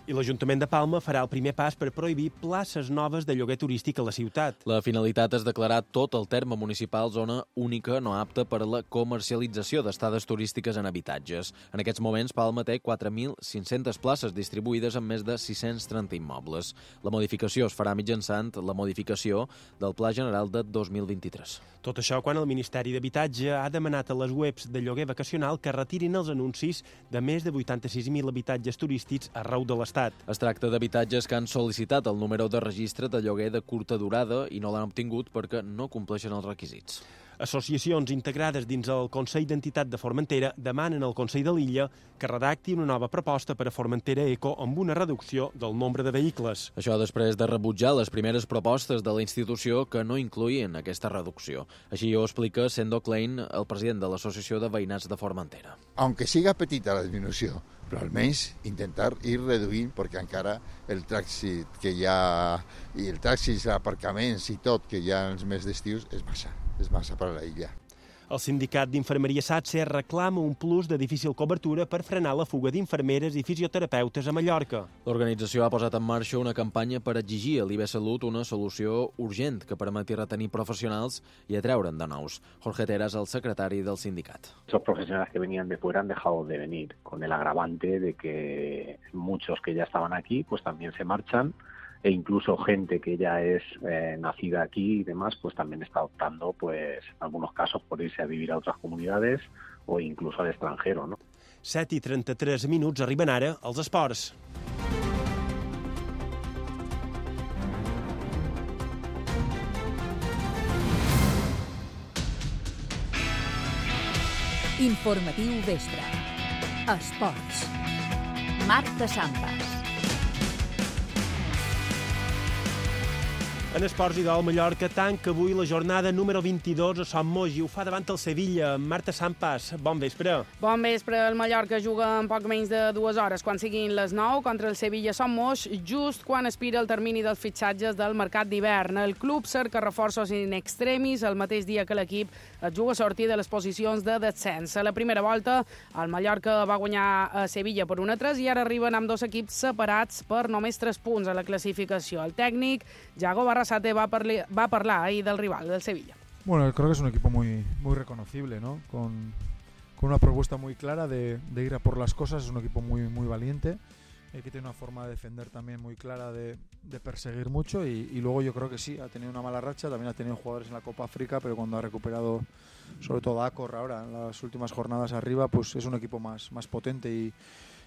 I l'Ajuntament de Palma farà el primer pas per prohibir places noves de lloguer turístic a la ciutat. La finalitat és declarar tot el terme municipal zona única no apta per a la comercialització d'estades turístiques en habitatges. En aquests moments, Palma té 4.500 places distribuïdes en més de 630 immobles. La modificació es farà mitjançant la modificació del Pla General de 2023. Tot això quan el Ministeri d'Habitatge ha demanat a les webs de lloguer vacacional que retirin els anuncis de més de 86.000 habitatges turístics arreu de l'Estat. Es tracta d'habitatges que han sol·licitat el número de registre de lloguer de curta durada i no l'han obtingut perquè no compleixen els requisits. Associacions integrades dins el Consell d'Entitat de Formentera demanen al Consell de l'Illa que redacti una nova proposta per a Formentera Eco amb una reducció del nombre de vehicles. Això després de rebutjar les primeres propostes de la institució que no incloïen aquesta reducció. Així ho explica Sendo Klein, el president de l'Associació de Veïnats de Formentera. Aunque siga petita la disminució, però almenys intentar ir reduint, perquè encara el trànsit que hi ha, i el trànsit, aparcaments i tot que hi ha els mesos d'estius és massa per a la illa. El sindicat d'Infermeria SATSE reclama un plus de difícil cobertura per frenar la fuga d'infermeres i fisioterapeutes a Mallorca. L'organització ha posat en marxa una campanya per exigir a l'IB Salut una solució urgent que permeti retenir professionals i atreure'n de nous. Jorge Tera és el secretari del sindicat. Los profesionales que venían de fuera han dejado de venir, con el agravante de que muchos que ya estaban aquí pues también se marchan, e incluso gente que ya es nacida aquí y demás, pues también está optando, pues en algunos casos, por irse a vivir a otras comunidades o incluso al extranjero, ¿no? 7:33, arriben ara els esports. Informatiu vespre. Esports. Marta Sampas. En esports i del Mallorca tanca avui la jornada número 22 a Son Moix i ho fa davant el Sevilla. Marta Sampas, bon vespre. Bon vespre. El Mallorca juga en poc menys de 2 hores, quan siguin les 9, contra el Sevilla Son Moix, just quan expira el termini dels fitxatges del mercat d'hivern. El club cerca reforços in extremis el mateix dia que l'equip es juga a sortir de les posicions de descens. A la primera volta, el Mallorca va guanyar a Sevilla per 1-3 i ara arriben amb dos equips separats per només 3 punts a la classificació. El tècnic, Yago Barrasate, va parlar ahí del rival, del Sevilla. Bueno, creo que es un equipo muy reconocible, ¿no? Con una propuesta muy clara de ir a por las cosas. Es un equipo muy valiente, que tiene una forma de defender también muy clara, de perseguir mucho y luego yo creo que sí, ha tenido una mala racha, también ha tenido jugadores en la Copa África, pero cuando ha recuperado sobre todo a Acor ahora en las últimas jornadas arriba, pues es un equipo más potente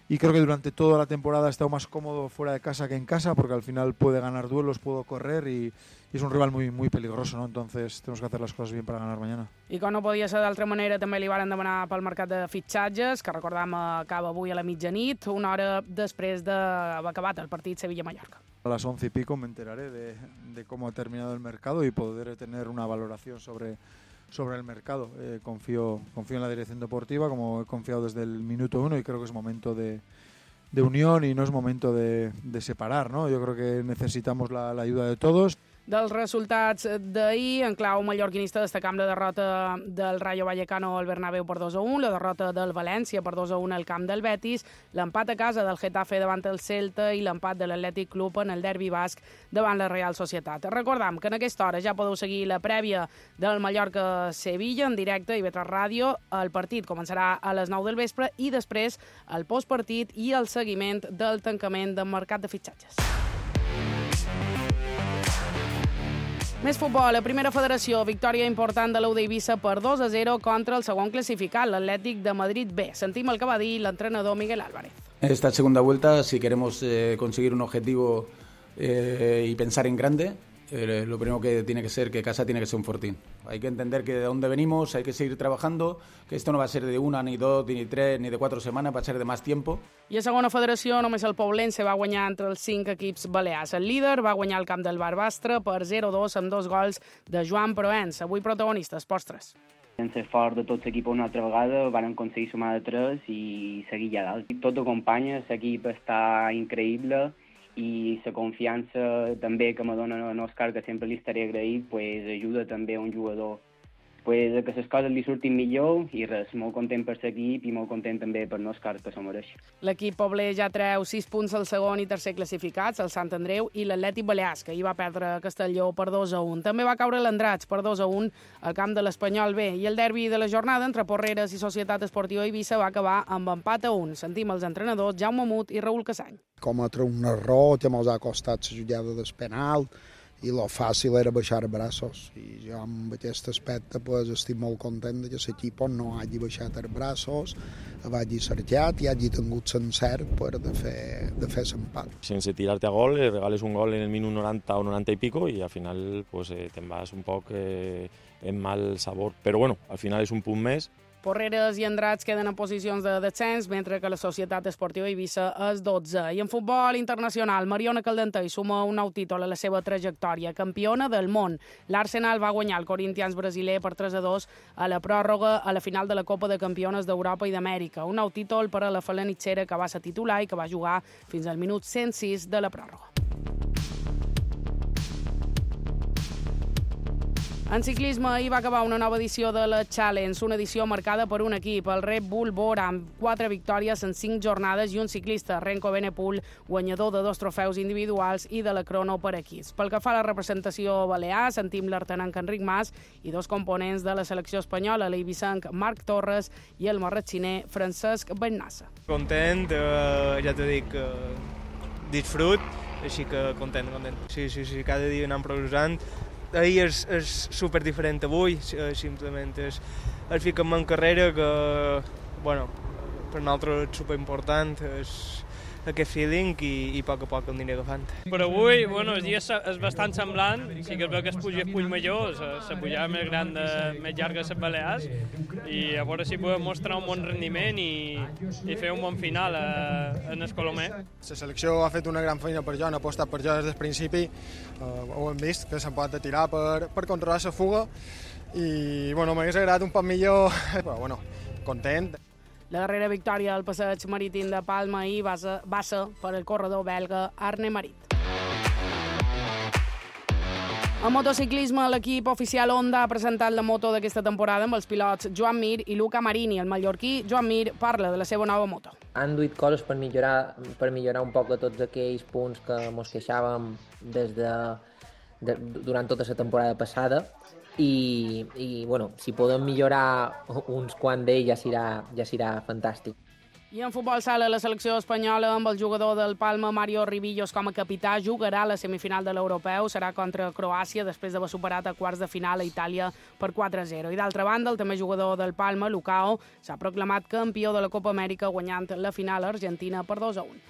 y creo que durante toda la temporada ha estado más cómodo fuera de casa que en casa, porque al final puede ganar duelos, puede correr y es un rival muy peligroso, ¿no? Entonces tenemos que hacer las cosas bien para ganar mañana. I com no podia ser d'altra manera, també li varen demanar pel mercat de fitxatges, que recordam acaba avui a la mitjanit, una hora després d'haver acabat el partit Sevilla-Mallorca. A las 11 y pico me enteraré de cómo ha terminado el mercado y podré tener una valoración sobre el mercado. Confío en la dirección deportiva, como he confiado desde el minuto 1, y creo que es momento de unión y no es momento de separar, ¿no? Yo creo que necesitamos la ayuda de todos. Dels resultats d'ahir, en clau mallorquinista, destacam la derrota del Rayo Vallecano al Bernabéu per 2-1, la derrota del València per 2-1 al camp del Betis, l'empat a casa del Getafe davant el Celta i l'empat de l'Atlètic Club en el derbi basc davant la Real Societat. Recordam que en aquesta hora ja podeu seguir la prèvia del Mallorca-Sevilla en directe a IB3 Ràdio. El partit començarà a les 9 del vespre i després el postpartit i el seguiment del tancament del mercat de fitxatges. Més futbol, la primera federació, victòria important de l'U d'Eivissa per 2-0 contra el segon classificat, l'Atlètic de Madrid B. Sentim el que va dir l'entrenador Miguel Álvarez. Esta segunda vuelta, si queremos conseguir un objetivo y pensar en grande, lo primero que tiene que ser que casa tiene que ser un fortín. Hay que entender que de dónde venimos, hay que seguir trabajando, que esto no va a ser de 1, ni 2, ni 3, ni de 4 semanas, va a ser de más tiempo. I a segona federació, només el Poblense va guanyar entre els 5 equips balears. El líder va guanyar el camp del Barbastre per 0-2 amb 2 gols de Joan Proens. Avui protagonistes, postres. En ser fort de tots l'equip una altra vegada, van aconseguir sumar de 3 i seguir ja dalt. Tot acompanya, l'equip està increïble, i la confiança també que me dona en Òscar, que sempre li estaré agraït, pues, ajuda també a un jugador pues, que les coses li surtin millor i res, molt content per l'equip i molt content també per Òscar, que s'ho mereix. L'equip pobler ja treu 6 punts al segon i tercer classificats, el Sant Andreu i l'Atlètic Balears, que ahir va perdre a Castelló per 2-1. També va caure l'Andratx per 2-1 al camp de l'Espanyol B, i el derbi de la jornada entre Porreres i Societat Esportiva Eivissa va acabar amb empat a 1. Sentim els entrenadors Jaume Mut i Raül Casany. Cometre un error, te mos ha costat la jugada del penal, i lo fàcil era baixar els braços. I jo amb aquest aspecte pues, estic molt content que l'equip no hagi baixat els braços, hagi cercat i hagi tingut l'encert de fer l'empat. Sense tirar-te a gol, regales un gol en el minut 90 o 90 i pico i al final pues, te'n vas un poc en mal sabor. Però bueno, al final és un punt més. Porreres i Andratx queden en posicions de descens, mentre que la Societat Esportiva Eivissa és 12. I en futbol internacional, Mariona Caldentey suma un nou títol a la seva trajectòria, campiona del món. L'Arsenal va guanyar el Corinthians brasiler per 3-2 a la pròrroga a la final de la Copa de Campiones d'Europa i d'Amèrica. Un nou títol per a la falanitxera, que va ser titular i que va jugar fins al minut 106 de la pròrroga. En ciclisme, ahir va acabar una nova edició de la Challenge, una edició marcada per un equip, el Red Bull Bora, amb 4 victòries en 5 jornades i un ciclista, Renko Benepul, guanyador de 2 trofeus individuals i de la crono per equips. Pel que fa a la representació balear, sentim l'artenanc Enric Mas i 2 components de la selecció espanyola, l'eivissenc Marc Torres i el marratxiner Francesc Bennassa. Content, ja t'ho dic, disfrut, així que content. Sí, cada dia anem progressant. Ahir és super diferent avui, simplement és ficar-me en carrera que, bueno, per nosaltres és superimportant, és aquest feeling i a poc aniré agafant. Per avui, bueno, el dia és bastant semblant, sí que es veu que es puja el Puig Major, la pujada més gran, més llarga de les Balears, i a veure si podem mostrar un bon rendiment i fer un bon final en el Colomer. La selecció ha fet una gran feina per jo, han apostat per jo des del principi, ho hem vist, que se'n pot tirar per controlar la fuga, i bueno, m'hagués agradat un poc millor, però bueno, content. La darrera victòria del passeig marítim de Palma ahir va ser per el corredor belga Arne Marit. En motociclisme, l'equip oficial Honda ha presentat la moto d'aquesta temporada amb els pilots Joan Mir i Luca Marini. El mallorquí Joan Mir parla de la seva nova moto. Han duit coses per millorar un poc tots aquells punts que mos queixàvem durant tota la temporada passada. I bueno, si podem millorar uns quants d'ells ja serà fantàstic. I en futbol sala, la selecció espanyola amb el jugador del Palma, Mario Ribillos, com a capità, jugarà a la semifinal de l'Europeu. Serà contra Croàcia, després d'haver superat a quarts de final a Itàlia per 4-0. I d'altra banda, el també jugador del Palma, Lucao, s'ha proclamat campió de la Copa Amèrica guanyant la final a Argentina per 2-1.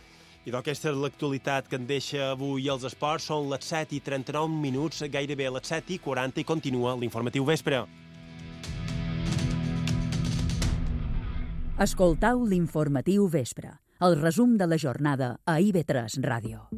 I aquesta és l'actualitat que en deixa avui els esports. Són les 7:39, gairebé a les 7:40 i continua l'informatiu vespre. Escoltau l'informatiu vespre, el resum de la jornada a IB3 Ràdio.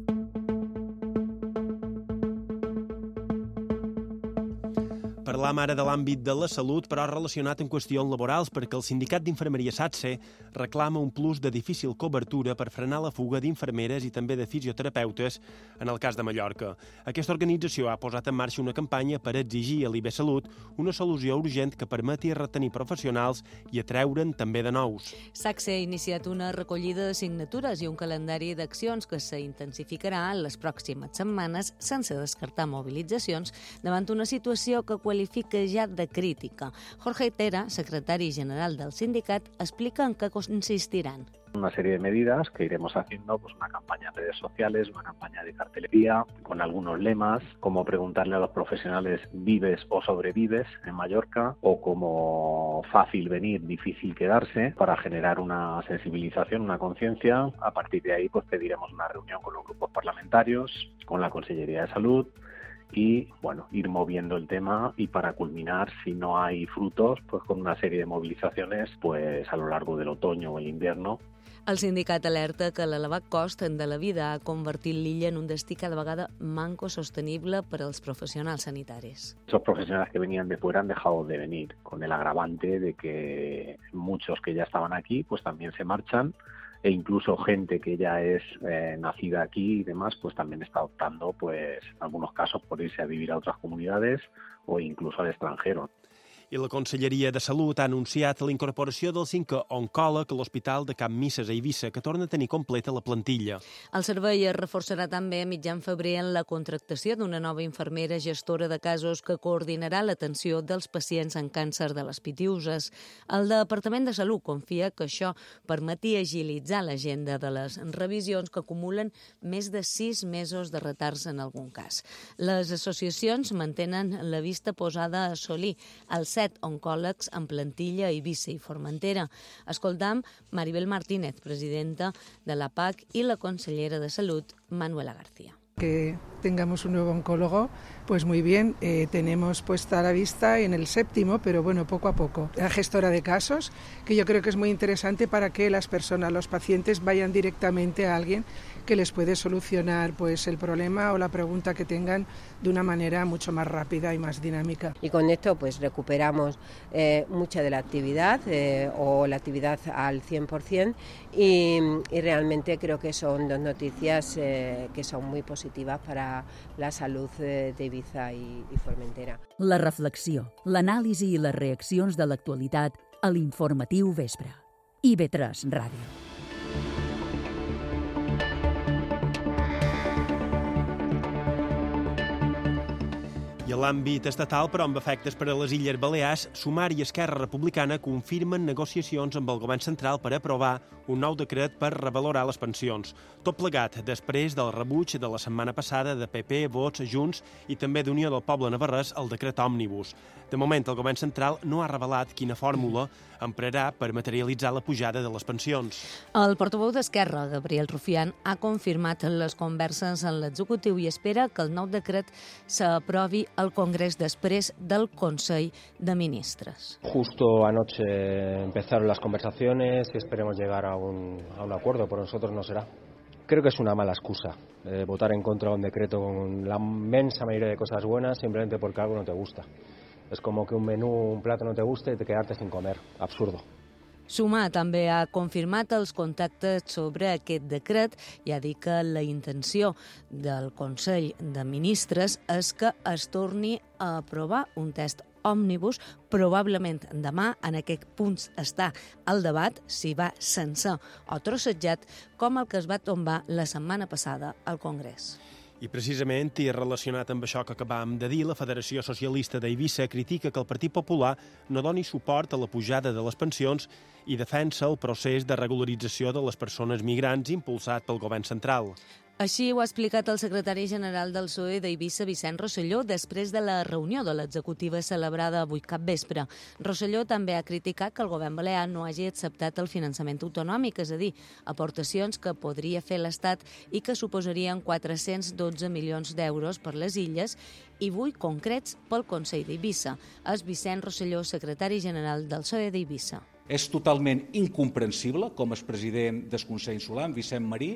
Parlam ara de l'àmbit de la salut, però relacionat amb qüestions laborals, perquè el sindicat d'infermeria SATSE reclama un plus de difícil cobertura per frenar la fuga d'infermeres i també de fisioterapeutes en el cas de Mallorca. Aquesta organització ha posat en marxa una campanya per exigir a l'IB Salut una solució urgent que permeti retenir professionals i atreure'n també de nous. SATSE ha iniciat una recollida de signatures i un calendari d'accions que s'intensificarà en les pròximes setmanes sense descartar mobilitzacions davant una situació que qualifica ja de crítica. Jorge Tera, secretari general del sindicat, explica en què consistiran. Una serie de medidas que iremos haciendo, pues una campaña en redes sociales, una campaña de cartelería, con algunos lemas, como preguntarle a los profesionales ¿vives o sobrevives en Mallorca? O como fácil venir, difícil quedarse, para generar una sensibilización, una conciencia. A partir de ahí, pues pediremos una reunión con los grupos parlamentarios, con la Consellería de Salud, y bueno, ir moviendo el tema y para culminar, si no hay frutos, pues con una serie de movilizaciones pues a lo largo del otoño o el invierno. El sindicat alerta que l'elevat cost de la vida ha convertit l'illa en un destí cada vegada manco sostenible per als professionals sanitaris. Esos profesionales que venían de fuera han dejado de venir, con el agravante de que muchos que ya estaban aquí pues también se marchan, e incluso gente que ya es nacida aquí y demás, pues también está optando, pues en algunos casos, por irse a vivir a otras comunidades o incluso al extranjero. I la Conselleria de Salut ha anunciat la incorporació del 5è oncòleg a l'Hospital de Can Misses a Eivissa, que torna a tenir completa la plantilla. El servei es reforçarà també a mitjan febrer en la contractació d'una nova infermera gestora de casos que coordinarà l'atenció dels pacients amb càncer de les pitiüses. El Departament de Salut confia que això permeti agilitzar l'agenda de les revisions que acumulen més de 6 mesos de retards en algun cas. Les associacions mantenen la vista posada a assolir els 7 oncòlegs en plantilla a Eivissa i Formentera. Escoltam Maribel Martínez, presidenta de la PAC, i la consellera de Salut, Manuela García. Que tengamos un nuevo oncólogo, pues muy bien, tenemos puesta la vista en el 7º, pero bueno, poco a poco. La gestora de casos, que yo creo que es muy interesante para que las personas, los pacientes, vayan directamente a alguien que les puede solucionar pues el problema o la pregunta que tengan de una manera mucho más rápida y más dinámica. Y con esto pues recuperamos mucha de la actividad o la actividad al 100% y realmente creo que son dos noticias que son muy positivas para la salud de Eivissa i Formentera. La reflexió, l'anàlisi i les reaccions de l'actualitat a l'informatiu vespre. IB3 Ràdio. I en l'àmbit estatal, però amb efectes per a les Illes Balears, Sumar i Esquerra Republicana confirmen negociacions amb el govern central per aprovar un nou decret per revalorar les pensions. Tot plegat després del rebuig de la setmana passada de PP, Vots, Junts i també d'Unió del Poble Navarrès al decret Òmnibus. De moment, el govern central no ha revelat quina fórmula emprarà per materialitzar la pujada de les pensions. El portaveu d'Esquerra, Gabriel Rufián, ha confirmat les converses en l'executiu i espera que el nou decret s'aprovi al Congrés després del Consell de Ministres. Justo anoche empezaron las conversaciones y esperemos llegar a un acuerdo. Por nosotros no será. Creo que es una mala excusa votar en contra de un decreto con la inmensa mayoría de cosas buenas simplemente porque algo no te gusta. Es como que un menú, un plato no te gusta y te quedarte sin comer. Absurdo. Sumar també ha confirmat els contactes sobre aquest decret i ha dit que la intenció del Consell de Ministres és que es torni a aprovar un text òmnibus. Probablement demà en aquest punt està el debat si va sencer o trossejat com el que es va tombar la setmana passada al Congrés. I precisament, i relacionat amb això que acabam de dir, la Federació Socialista d'Eivissa critica que el Partit Popular no doni suport a la pujada de les pensions i defensa el procés de regularització de les persones migrants impulsat pel govern central. Així ho ha explicat el secretari general del PSOE d'Eivissa, Vicent Rosselló, després de la reunió de l'executiva celebrada avui capvespre. Rosselló també ha criticat que el govern balear no hagi acceptat el finançament autonòmic, és a dir, aportacions que podria fer l'Estat i que suposarien 412 milions d'euros per les illes i 8 concrets pel Consell d'Eivissa. És Vicent Rosselló, secretari general del PSOE d'Eivissa. És totalment incomprensible, com el president del Consell Insular, Vicent Marí,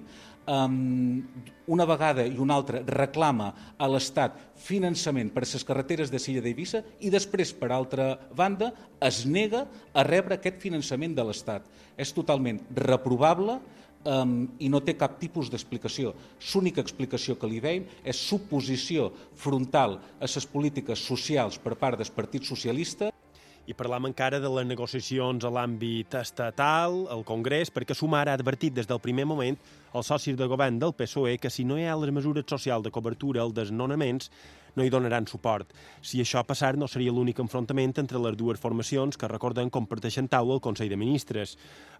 una vegada i una altra reclama a l'Estat finançament per a les carreteres de l'illa d'Eivissa i després, per altra banda, es nega a rebre aquest finançament de l'Estat. És totalment reprovable i no té cap tipus d'explicació. L'única explicació que li veiem és suposició frontal a les polítiques socials per part del Partit Socialista. I parlam encara de les negociacions a l'àmbit estatal, al Congrés, perquè Sumar ha advertit des del primer moment als socis de govern del PSOE que si no hi ha les mesures socials de cobertura als desnonaments, no hi donaran suport. Si això passar, no seria l'únic enfrontament entre les dues formacions que, recorden, comparteixen taula al Consell de Ministres.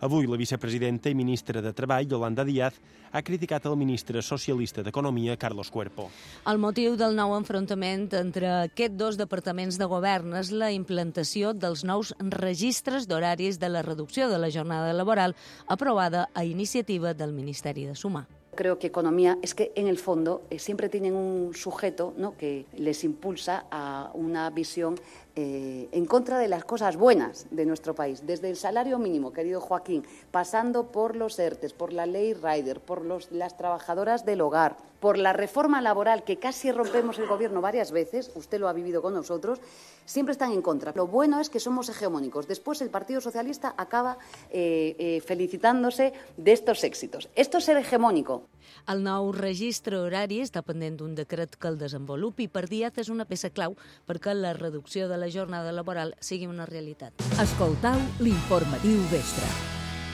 Avui, la vicepresidenta i ministra de Treball, Yolanda Díaz, ha criticat el ministre socialista d'Economia, Carlos Cuerpo. El motiu del nou enfrontament entre aquests dos departaments de govern és la implantació dels nous registres d'horaris de la reducció de la jornada laboral aprovada a iniciativa del Ministeri de Sumar. Creo que economía es que en el fondo siempre tienen un sujeto, ¿no?, que les impulsa a una visión en contra de las cosas buenas de nuestro país, desde el salario mínimo, querido Joaquín, pasando por los ERTES, por la ley Rider, por las trabajadoras del hogar, por la reforma laboral, que casi rompemos el gobierno varias veces, usted lo ha vivido con nosotros, siempre están en contra. Lo bueno es que somos hegemónicos. Después el Partido Socialista acaba felicitándose de estos éxitos. Esto es ser hegemónico. El nou registre horari està pendent d'un decret que el desenvolupi. Per Díaz és una peça clau perquè la reducció de la jornada laboral sigui una realitat. Escoltau l'informatiu vespre.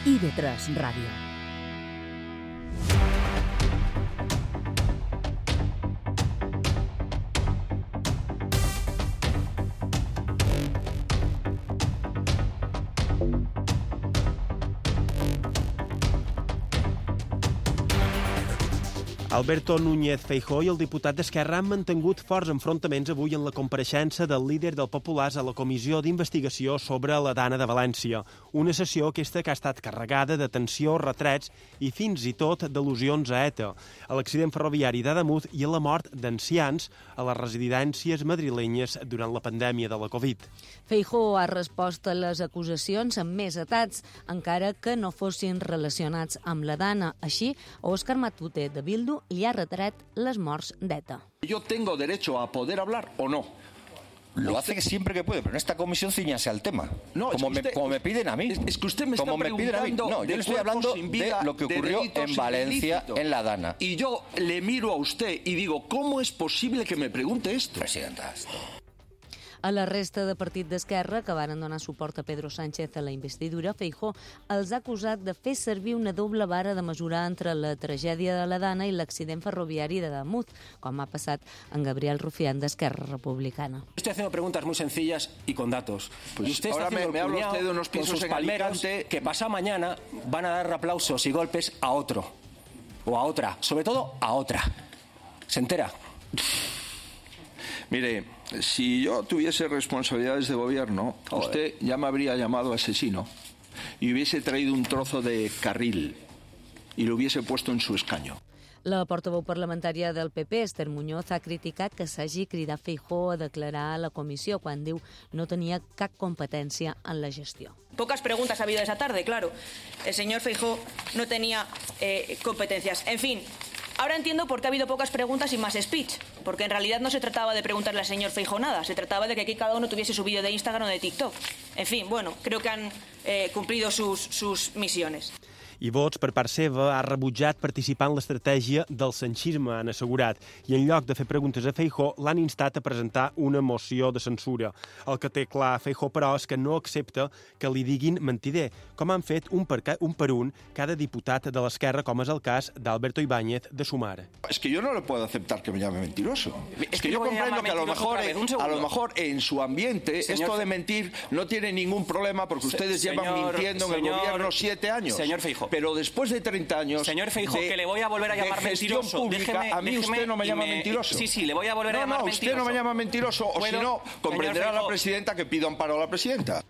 IB3 Ràdio. Alberto Núñez Feijóo i el diputat d'Esquerra han mantingut forts enfrontaments avui en la compareixença del líder del Populars a la Comissió d'Investigació sobre la Dana de València. Una sessió aquesta que ha estat carregada de tensió, retrets i fins i tot d'al·lusions a ETA, a l'accident ferroviari d'Ademuz i a la mort d'ancians a les residències madrilenyes durant la pandèmia de la Covid. Feijóo ha respost a les acusacions amb més atats, encara que no fossin relacionats amb la Dana. Així, Òscar Matute, de Bildu, li ha retret les morts d'ETA. Yo tengo derecho a poder hablar o no. Lo hace siempre que puede, pero en esta comisión ciñase al tema. No, como me piden a mí. Es que usted me está preguntando. No, yo le estoy hablando de lo que ocurrió en Valencia, en la Dana. Y yo le miro a usted y digo, ¿cómo es posible que me pregunte esto? Presidenta, esto... A la resta de partit d'Esquerra, que varen donar suport a Pedro Sánchez a la investidura, Feijóo els ha acusat de fer servir una doble vara de mesurar entre la tragèdia de la Dana i l'accident ferroviari de Damunt, com ha passat en Gabriel Rufián d'Esquerra Republicana. Estoy haciendo preguntas muy sencillas y con datos. Pues y usted está haciendo me habla usted de unos pisos en Alicante que pasado mañana van a dar aplausos y golpes a otro o a otra, sobre todo a otra. ¿Se entera? Mire, si yo tuviese responsabilidades de gobierno, usted ya me habría llamado asesino y hubiese traído un trozo de carril y lo hubiese puesto en su escaño. La portaveu parlamentària del PP, Esther Muñoz, ha criticat que s'hagi cridat Feijóo a declarar a la comissió quan diu no tenia cap competència en la gestió. Pocas preguntas ha habido esa tarde, claro. El señor Feijóo no tenía competencias. En fin, ahora entiendo por qué ha habido pocas preguntas y más speech, porque en realidad no se trataba de preguntarle al señor Feijóo nada, se trataba de que aquí cada uno tuviese su vídeo de Instagram o de TikTok. En fin, bueno, creo que han cumplido sus misiones. I Vox, per part seva, ha rebutjat participar en l'estratègia del sanchisme, han assegurat, i en lloc de fer preguntes a Feijóo, l'han instat a presentar una moció de censura. El que té clar Feijóo, però, és que no accepta que li diguin mentider, com han fet un per un cada diputat de l'Esquerra, com és el cas d'Alberto Ibáñez de Sumar. Es que yo no le puedo aceptar que me llame mentiroso. Es que yo comprendo que a lo mejor en su ambiente esto de mentir no tiene ningún problema porque ustedes llevan mintiendo en el gobierno 7 años. Señor Feijóo. Pero después de 30 años señor Feijóo, que le voy a volver a llamar mentiroso. Pública, a mí usted no me llama mentiroso. Sí, le voy a volver a llamar mentiroso. Usted no me llama mentiroso, o si no, comprenderá a la presidenta que pido amparo a la presidenta.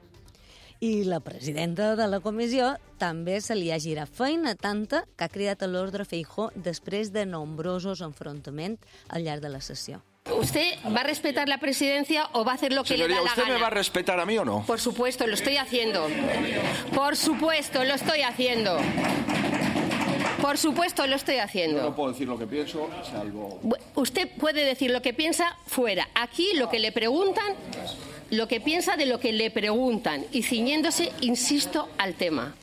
I la presidenta de la comissió també se li ha girat feina tanta que ha cridat a l'ordre Feijóo després de nombrosos enfrontaments al llarg de la sessió. ¿Usted va a respetar la presidencia o va a hacer lo que le da la gana? ¿Usted me va a respetar a mí o no? Por supuesto, lo estoy haciendo. Por supuesto, lo estoy haciendo. Por supuesto, lo estoy haciendo. Yo no puedo decir lo que pienso, salvo... Usted puede decir lo que piensa fuera. Aquí lo que le preguntan, lo que piensa de lo que le preguntan. Y ciñéndose, insisto, al tema.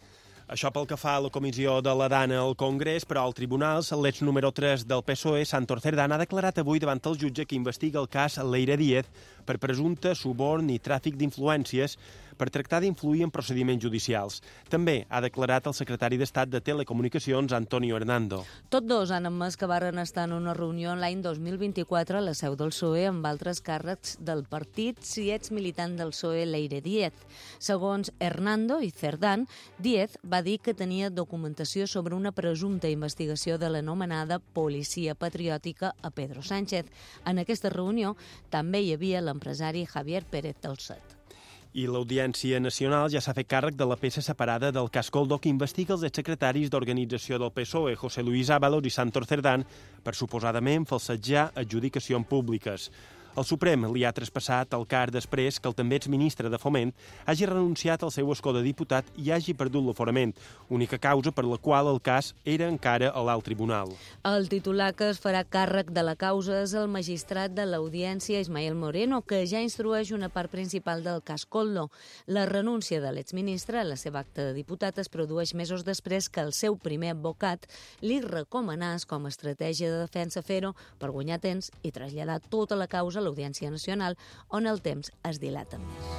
Això pel que fa a la comissió de la Dana al Congrés, però al tribunal, l'ex número 3 del PSOE, Santos Cerdán, ha declarat avui davant el jutge que investiga el cas Leire Díez per presumpte suborn i tràfic d'influències per tractar d'influir en procediments judicials. També ha declarat el secretari d'Estat de Telecomunicacions, Antonio Hernando. Tots dos han admès que varen estar en una reunió l'any 2024 a la seu del PSOE amb altres càrrecs del partit si ets militant del PSOE Leire Díez. Segons Hernando i Cerdán, Díez va dir que tenia documentació sobre una presumpta investigació de l'anomenada policia patriòtica a Pedro Sánchez. En aquesta reunió també hi havia l'empresari Javier Pérez Dolcet. I l'Audiència Nacional ja s'ha fet càrrec de la peça separada del cas Koldo que investiga els exsecretaris d'organització del PSOE, José Luis Ábalos i Santos Cerdán, per suposadament falsejar adjudicacions públiques. El Suprem li ha traspassat el car després que el també exministre de Foment hagi renunciat al seu escó de diputat i hagi perdut l'aforament, única causa per la qual el cas era encara a l'alt tribunal. El titular que es farà càrrec de la causa és el magistrat de l'Audiència, Ismael Moreno, que ja instrueix una part principal del cas Koldo. La renúncia de l'exministre a la seva acta de diputat es produeix mesos després que el seu primer advocat li recomanés com a estratègia de defensa fer-ho per guanyar temps i traslladar tota la causa a l'Audiència Nacional, on el temps es dilata més.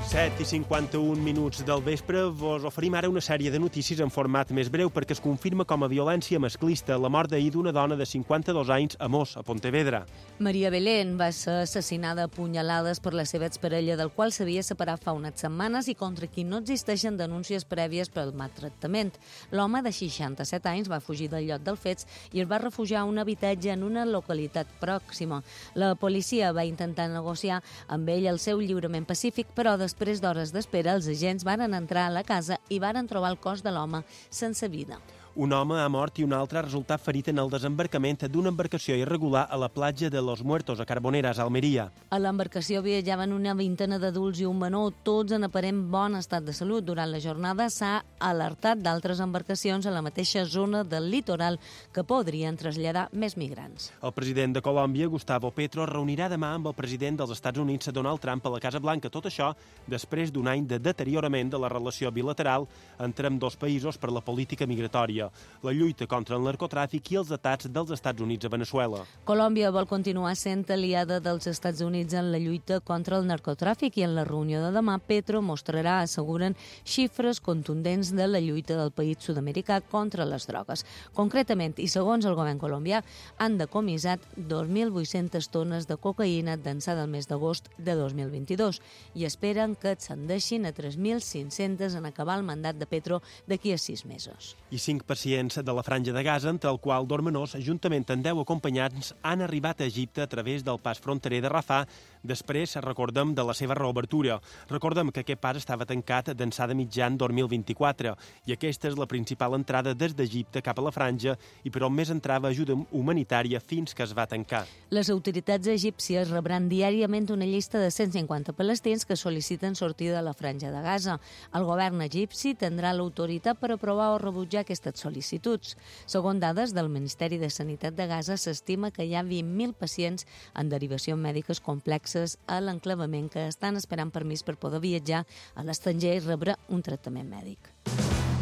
7:51 del vespre vos oferim ara una sèrie de notícies en format més breu perquè es confirma com a violència masclista la mort d'ahir d'una dona de 52 anys a Mos, a Pontevedra. Maria Belén va ser assassinada a punyalades per la seva exparella, del qual s'havia separat fa unes setmanes i contra qui no existeixen denúncies prèvies pel maltractament. L'home de 67 anys va fugir del lloc dels fets i es va refugiar a un habitatge en una localitat pròxima. La policia va intentar negociar amb ell el seu lliurament pacífic, però després d'hores d'espera, els agents varen entrar a la casa i varen trobar el cos de l'home sense vida. Un home ha mort i un altre ha resultat ferit en el desembarcament d'una embarcació irregular a la platja de Los Muertos, a Carboneras, a Almeria. A l'embarcació viatjaven una vintena d'adults i un menor, tots en aparent bon estat de salut. Durant la jornada s'ha alertat d'altres embarcacions a la mateixa zona del litoral que podrien traslladar més migrants. El president de Colòmbia, Gustavo Petro, reunirà demà amb el president dels Estats Units, Donald Trump, a la Casa Blanca. Tot això després d'un any de deteriorament de la relació bilateral entre ambdós països per la política migratòria. la lluita contra el narcotràfic i els atacs dels Estats Units a Venezuela. Colòmbia vol continuar sent aliada dels Estats Units en la lluita contra el narcotràfic i en la reunió de demà Petro mostrarà, asseguren, xifres contundents de la lluita del país sud-americà contra les drogues. Concretament, i segons el govern colombià, han decomissat 2.800 tones de cocaïna d'ençà del mes d'agost de 2022 i esperen que ascendeixin a 3.500 en acabar el mandat de Petro d'aquí a 6 mesos. I 5 pacients de la Franja de Gaza, entre el qual Dormenós, juntament amb 10 acompanyants, han arribat a Egipte a través del pas fronterer de Rafah. Després, recordem, de la seva reobertura. Recordem que aquest pas estava tancat d'ençà de mitjan 2024 i aquesta és la principal entrada des d'Egipte cap a la Franja i per on més entrava ajuda humanitària fins que es va tancar. Les autoritats egípcies rebran diàriament una llista de 150 palestins que sol·liciten sortir de la Franja de Gaza. El govern egipci tindrà l'autoritat per aprovar o rebutjar aquestes sol·licituds. Segons dades del Ministeri de Sanitat de Gaza, s'estima que hi ha 20.000 pacients en derivacions mèdiques complexes a l'enclavament que estan esperant permís per poder viatjar a l'estranger i rebre un tractament mèdic.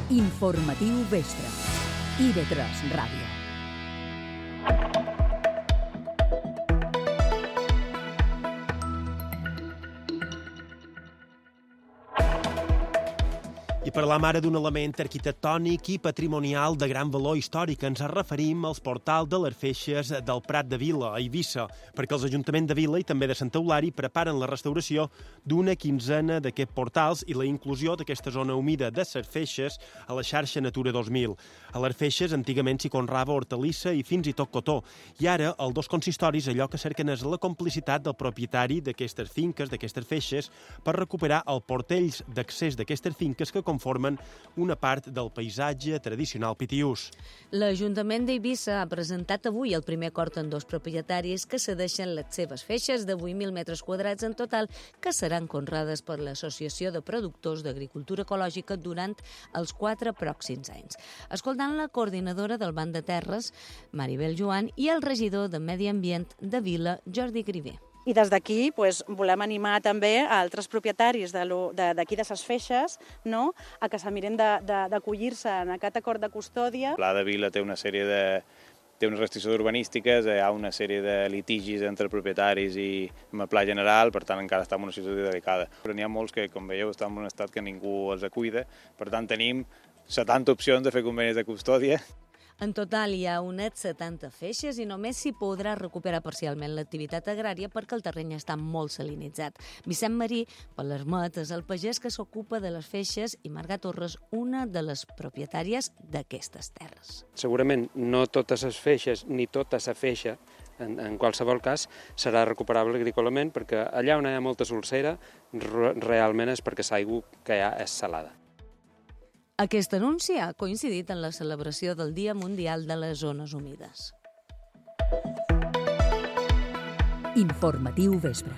Informatiu Vespre. IB3 Ràdio. I parlam ara d'un element arquitectònic i patrimonial de gran valor històric. Ens referim als portals de les Feixes del Prat de Vila, a Eivissa, perquè els ajuntaments de Vila i també de Sant Eulari preparen la restauració d'una quinzena d'aquests portals i la inclusió d'aquesta zona humida de les Feixes a la xarxa Natura 2000. A les Feixes antigament s'hi conrava hortalissa i fins i tot cotó, i ara els dos consistoris allò que cerquen és la complicitat del propietari d'aquestes finques, d'aquestes feixes, per recuperar els portells d'accés d'aquestes finques que conformen una part del paisatge tradicional pitiús. L'Ajuntament d'Eivissa ha presentat avui el primer acord en dos propietaris que cedeixen les seves feixes de 8.000 metres quadrats en total que seran conreades per l'Associació de Productors d'Agricultura Ecològica durant els 4 pròxims anys. Escoltant la coordinadora del Banc de Terres, Maribel Joan, i el regidor de Medi Ambient de Vila, Jordi Griver. I des d'aquí volem animar també a altres propietaris d'aquí de ses feixes a que se miren d'acollir-se en aquest acord de custòdia. El Pla de Vila té una sèrie té unes restriccions urbanístiques, hi ha una sèrie de litigis entre propietaris i amb el pla general, per tant encara està en una situació delicada. Però n'hi ha molts que, com veieu, estan en un estat que ningú els cuida, per tant tenim 70 opcions de fer convenis de custòdia. En total hi ha unes 70 feixes i només s'hi podrà recuperar parcialment l'activitat agrària perquè el terreny està molt salinitzat. Vicent Marí, per l'Ermet, és el pagès que s'ocupa de les feixes i Marga Torres, una de les propietàries d'aquestes terres. Segurament no totes les feixes ni tota la feixa, en qualsevol cas, serà recuperable agrícolament perquè allà on hi ha molta solsera realment és perquè l'aigua que hi ha és salada. Aquest anunci ha coincidit en la celebració del Dia Mundial de les Zones Humides. Informatiu Vespre.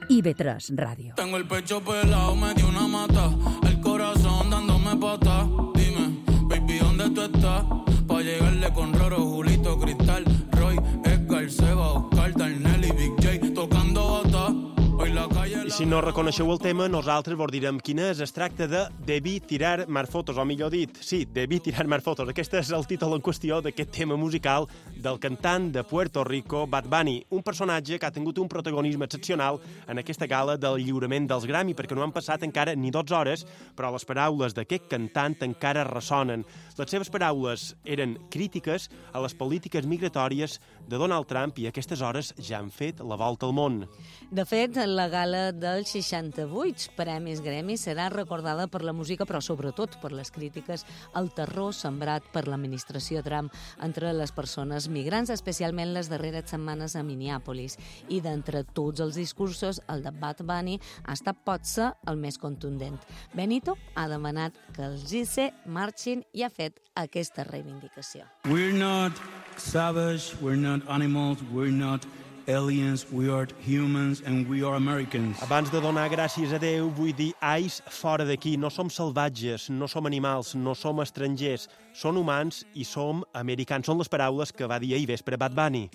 IB3 Ràdio. Tengo el pecho pelado, me dio una mata, el corazón dándome pata. Dime, baby, ¿dónde tú estás? Pa' llegarle con Roro, Julito, Cristal, Roy, Edgar, Seba, Oscar, Darnell i Big J tocando bata. I si no reconeixeu el tema, nosaltres vos direm quin és. Es tracta de Debí tirar más fotos, o millor dit, sí, Debí tirar más fotos. Aquest és el títol en qüestió d'aquest tema musical del cantant de Puerto Rico, Bad Bunny, un personatge que ha tingut un protagonisme excepcional en aquesta gala del lliurament dels Grammy, perquè no han passat encara ni 12 hores, però les paraules d'aquest cantant encara ressonen. Les seves paraules eren crítiques a les polítiques migratòries de Donald Trump i a aquestes hores ja han fet la volta al món. De fet, la gala dels 68 Premis Grammy serà recordada per la música, però sobretot per les crítiques al terror sembrat per l'administració Trump entre les persones migrants, especialment les darreres setmanes a Minneapolis. I d'entre tots els discursos, el de Bad Bunny ha estat potser el més contundent. Benito ha demanat que els ICE marxin i ha fet aquesta reivindicació. We're not savage, we're not animals, we're not aliens, we are humans and we are Americans. Abans de donar gràcies a Déu, vull dir, ais, fora d'aquí. No som salvatges, no som animals, no som estrangers. Som humans i som americans. Són les paraules que va dir ahir vespre Bad Bunny.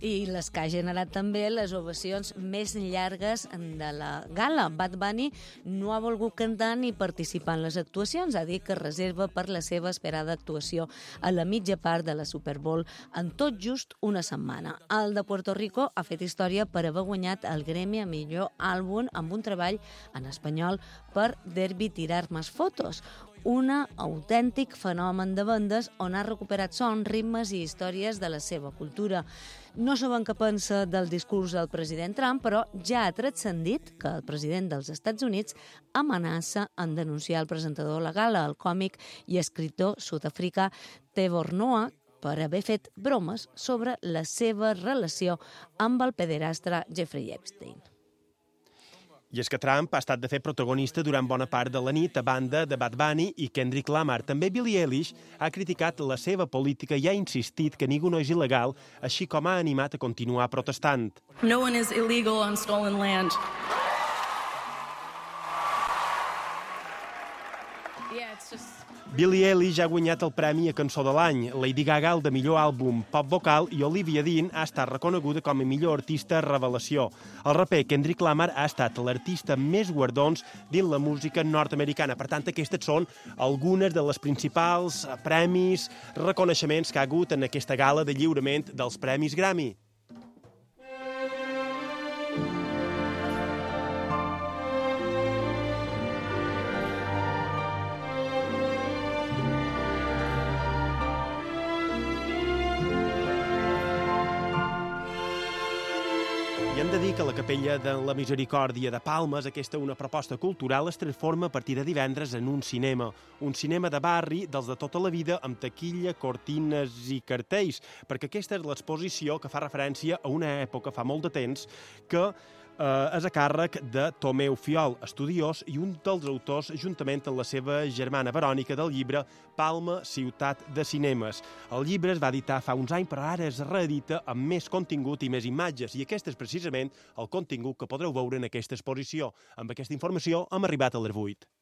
I les que ha generat també les ovacions més llargues de la gala. Bad Bunny no ha volgut cantar ni participar en les actuacions. Ha dit que reserva per la seva esperada actuació a la mitja part de la Super Bowl en tot just una setmana. El de Puerto Rico ha fet història per haver guanyat el Grammy a millor àlbum amb un treball en espanyol per Derbi Tirar Más Fotos, un autèntic fenomen de bandes on ha recuperat sons, ritmes i històries de la seva cultura. No sabem què pensa del discurs del president Trump, però ja ha transcendit que el president dels Estats Units amenaça en denunciar el presentador de la gala, el còmic i escriptor sud-africà Trevor Noah, per haver fet bromes sobre la seva relació amb el pederastre Jeffrey Epstein. I és que Trump ha estat, de fet, protagonista durant bona part de la nit a banda de Bad Bunny i Kendrick Lamar. També Billie Eilish ha criticat la seva política i ha insistit que ningú no és il·legal, així com ha animat a continuar protestant. No one is illegal on stolen land. Billie Eilish ha guanyat el premi a Cançó de l'Any, Lady Gaga el de millor àlbum pop vocal i Olivia Dean ha estat reconeguda com a millor artista revelació. El raper Kendrick Lamar ha estat l'artista amb més guardons dins la música nord-americana. Per tant, aquestes són algunes de les principals premis, reconeixements que ha hagut en aquesta gala de lliurament dels Premis Grammy. I hem de dir que la Capella de la Misericòrdia de Palmes, aquesta una proposta cultural, es transforma a partir de divendres en un cinema de barri dels de tota la vida amb taquilla, cortines i cartells, perquè aquesta és l'exposició que fa referència a una època, fa molt de temps, que és a càrrec de Tomeu Fiol, estudiós i un dels autors, juntament amb la seva germana Verònica, del llibre Palma, ciutat de cinemes. El llibre es va editar fa uns anys, però ara es reedita amb més contingut i més imatges, i aquest és precisament el contingut que podreu veure en aquesta exposició. Amb aquesta informació hem arribat a les 8.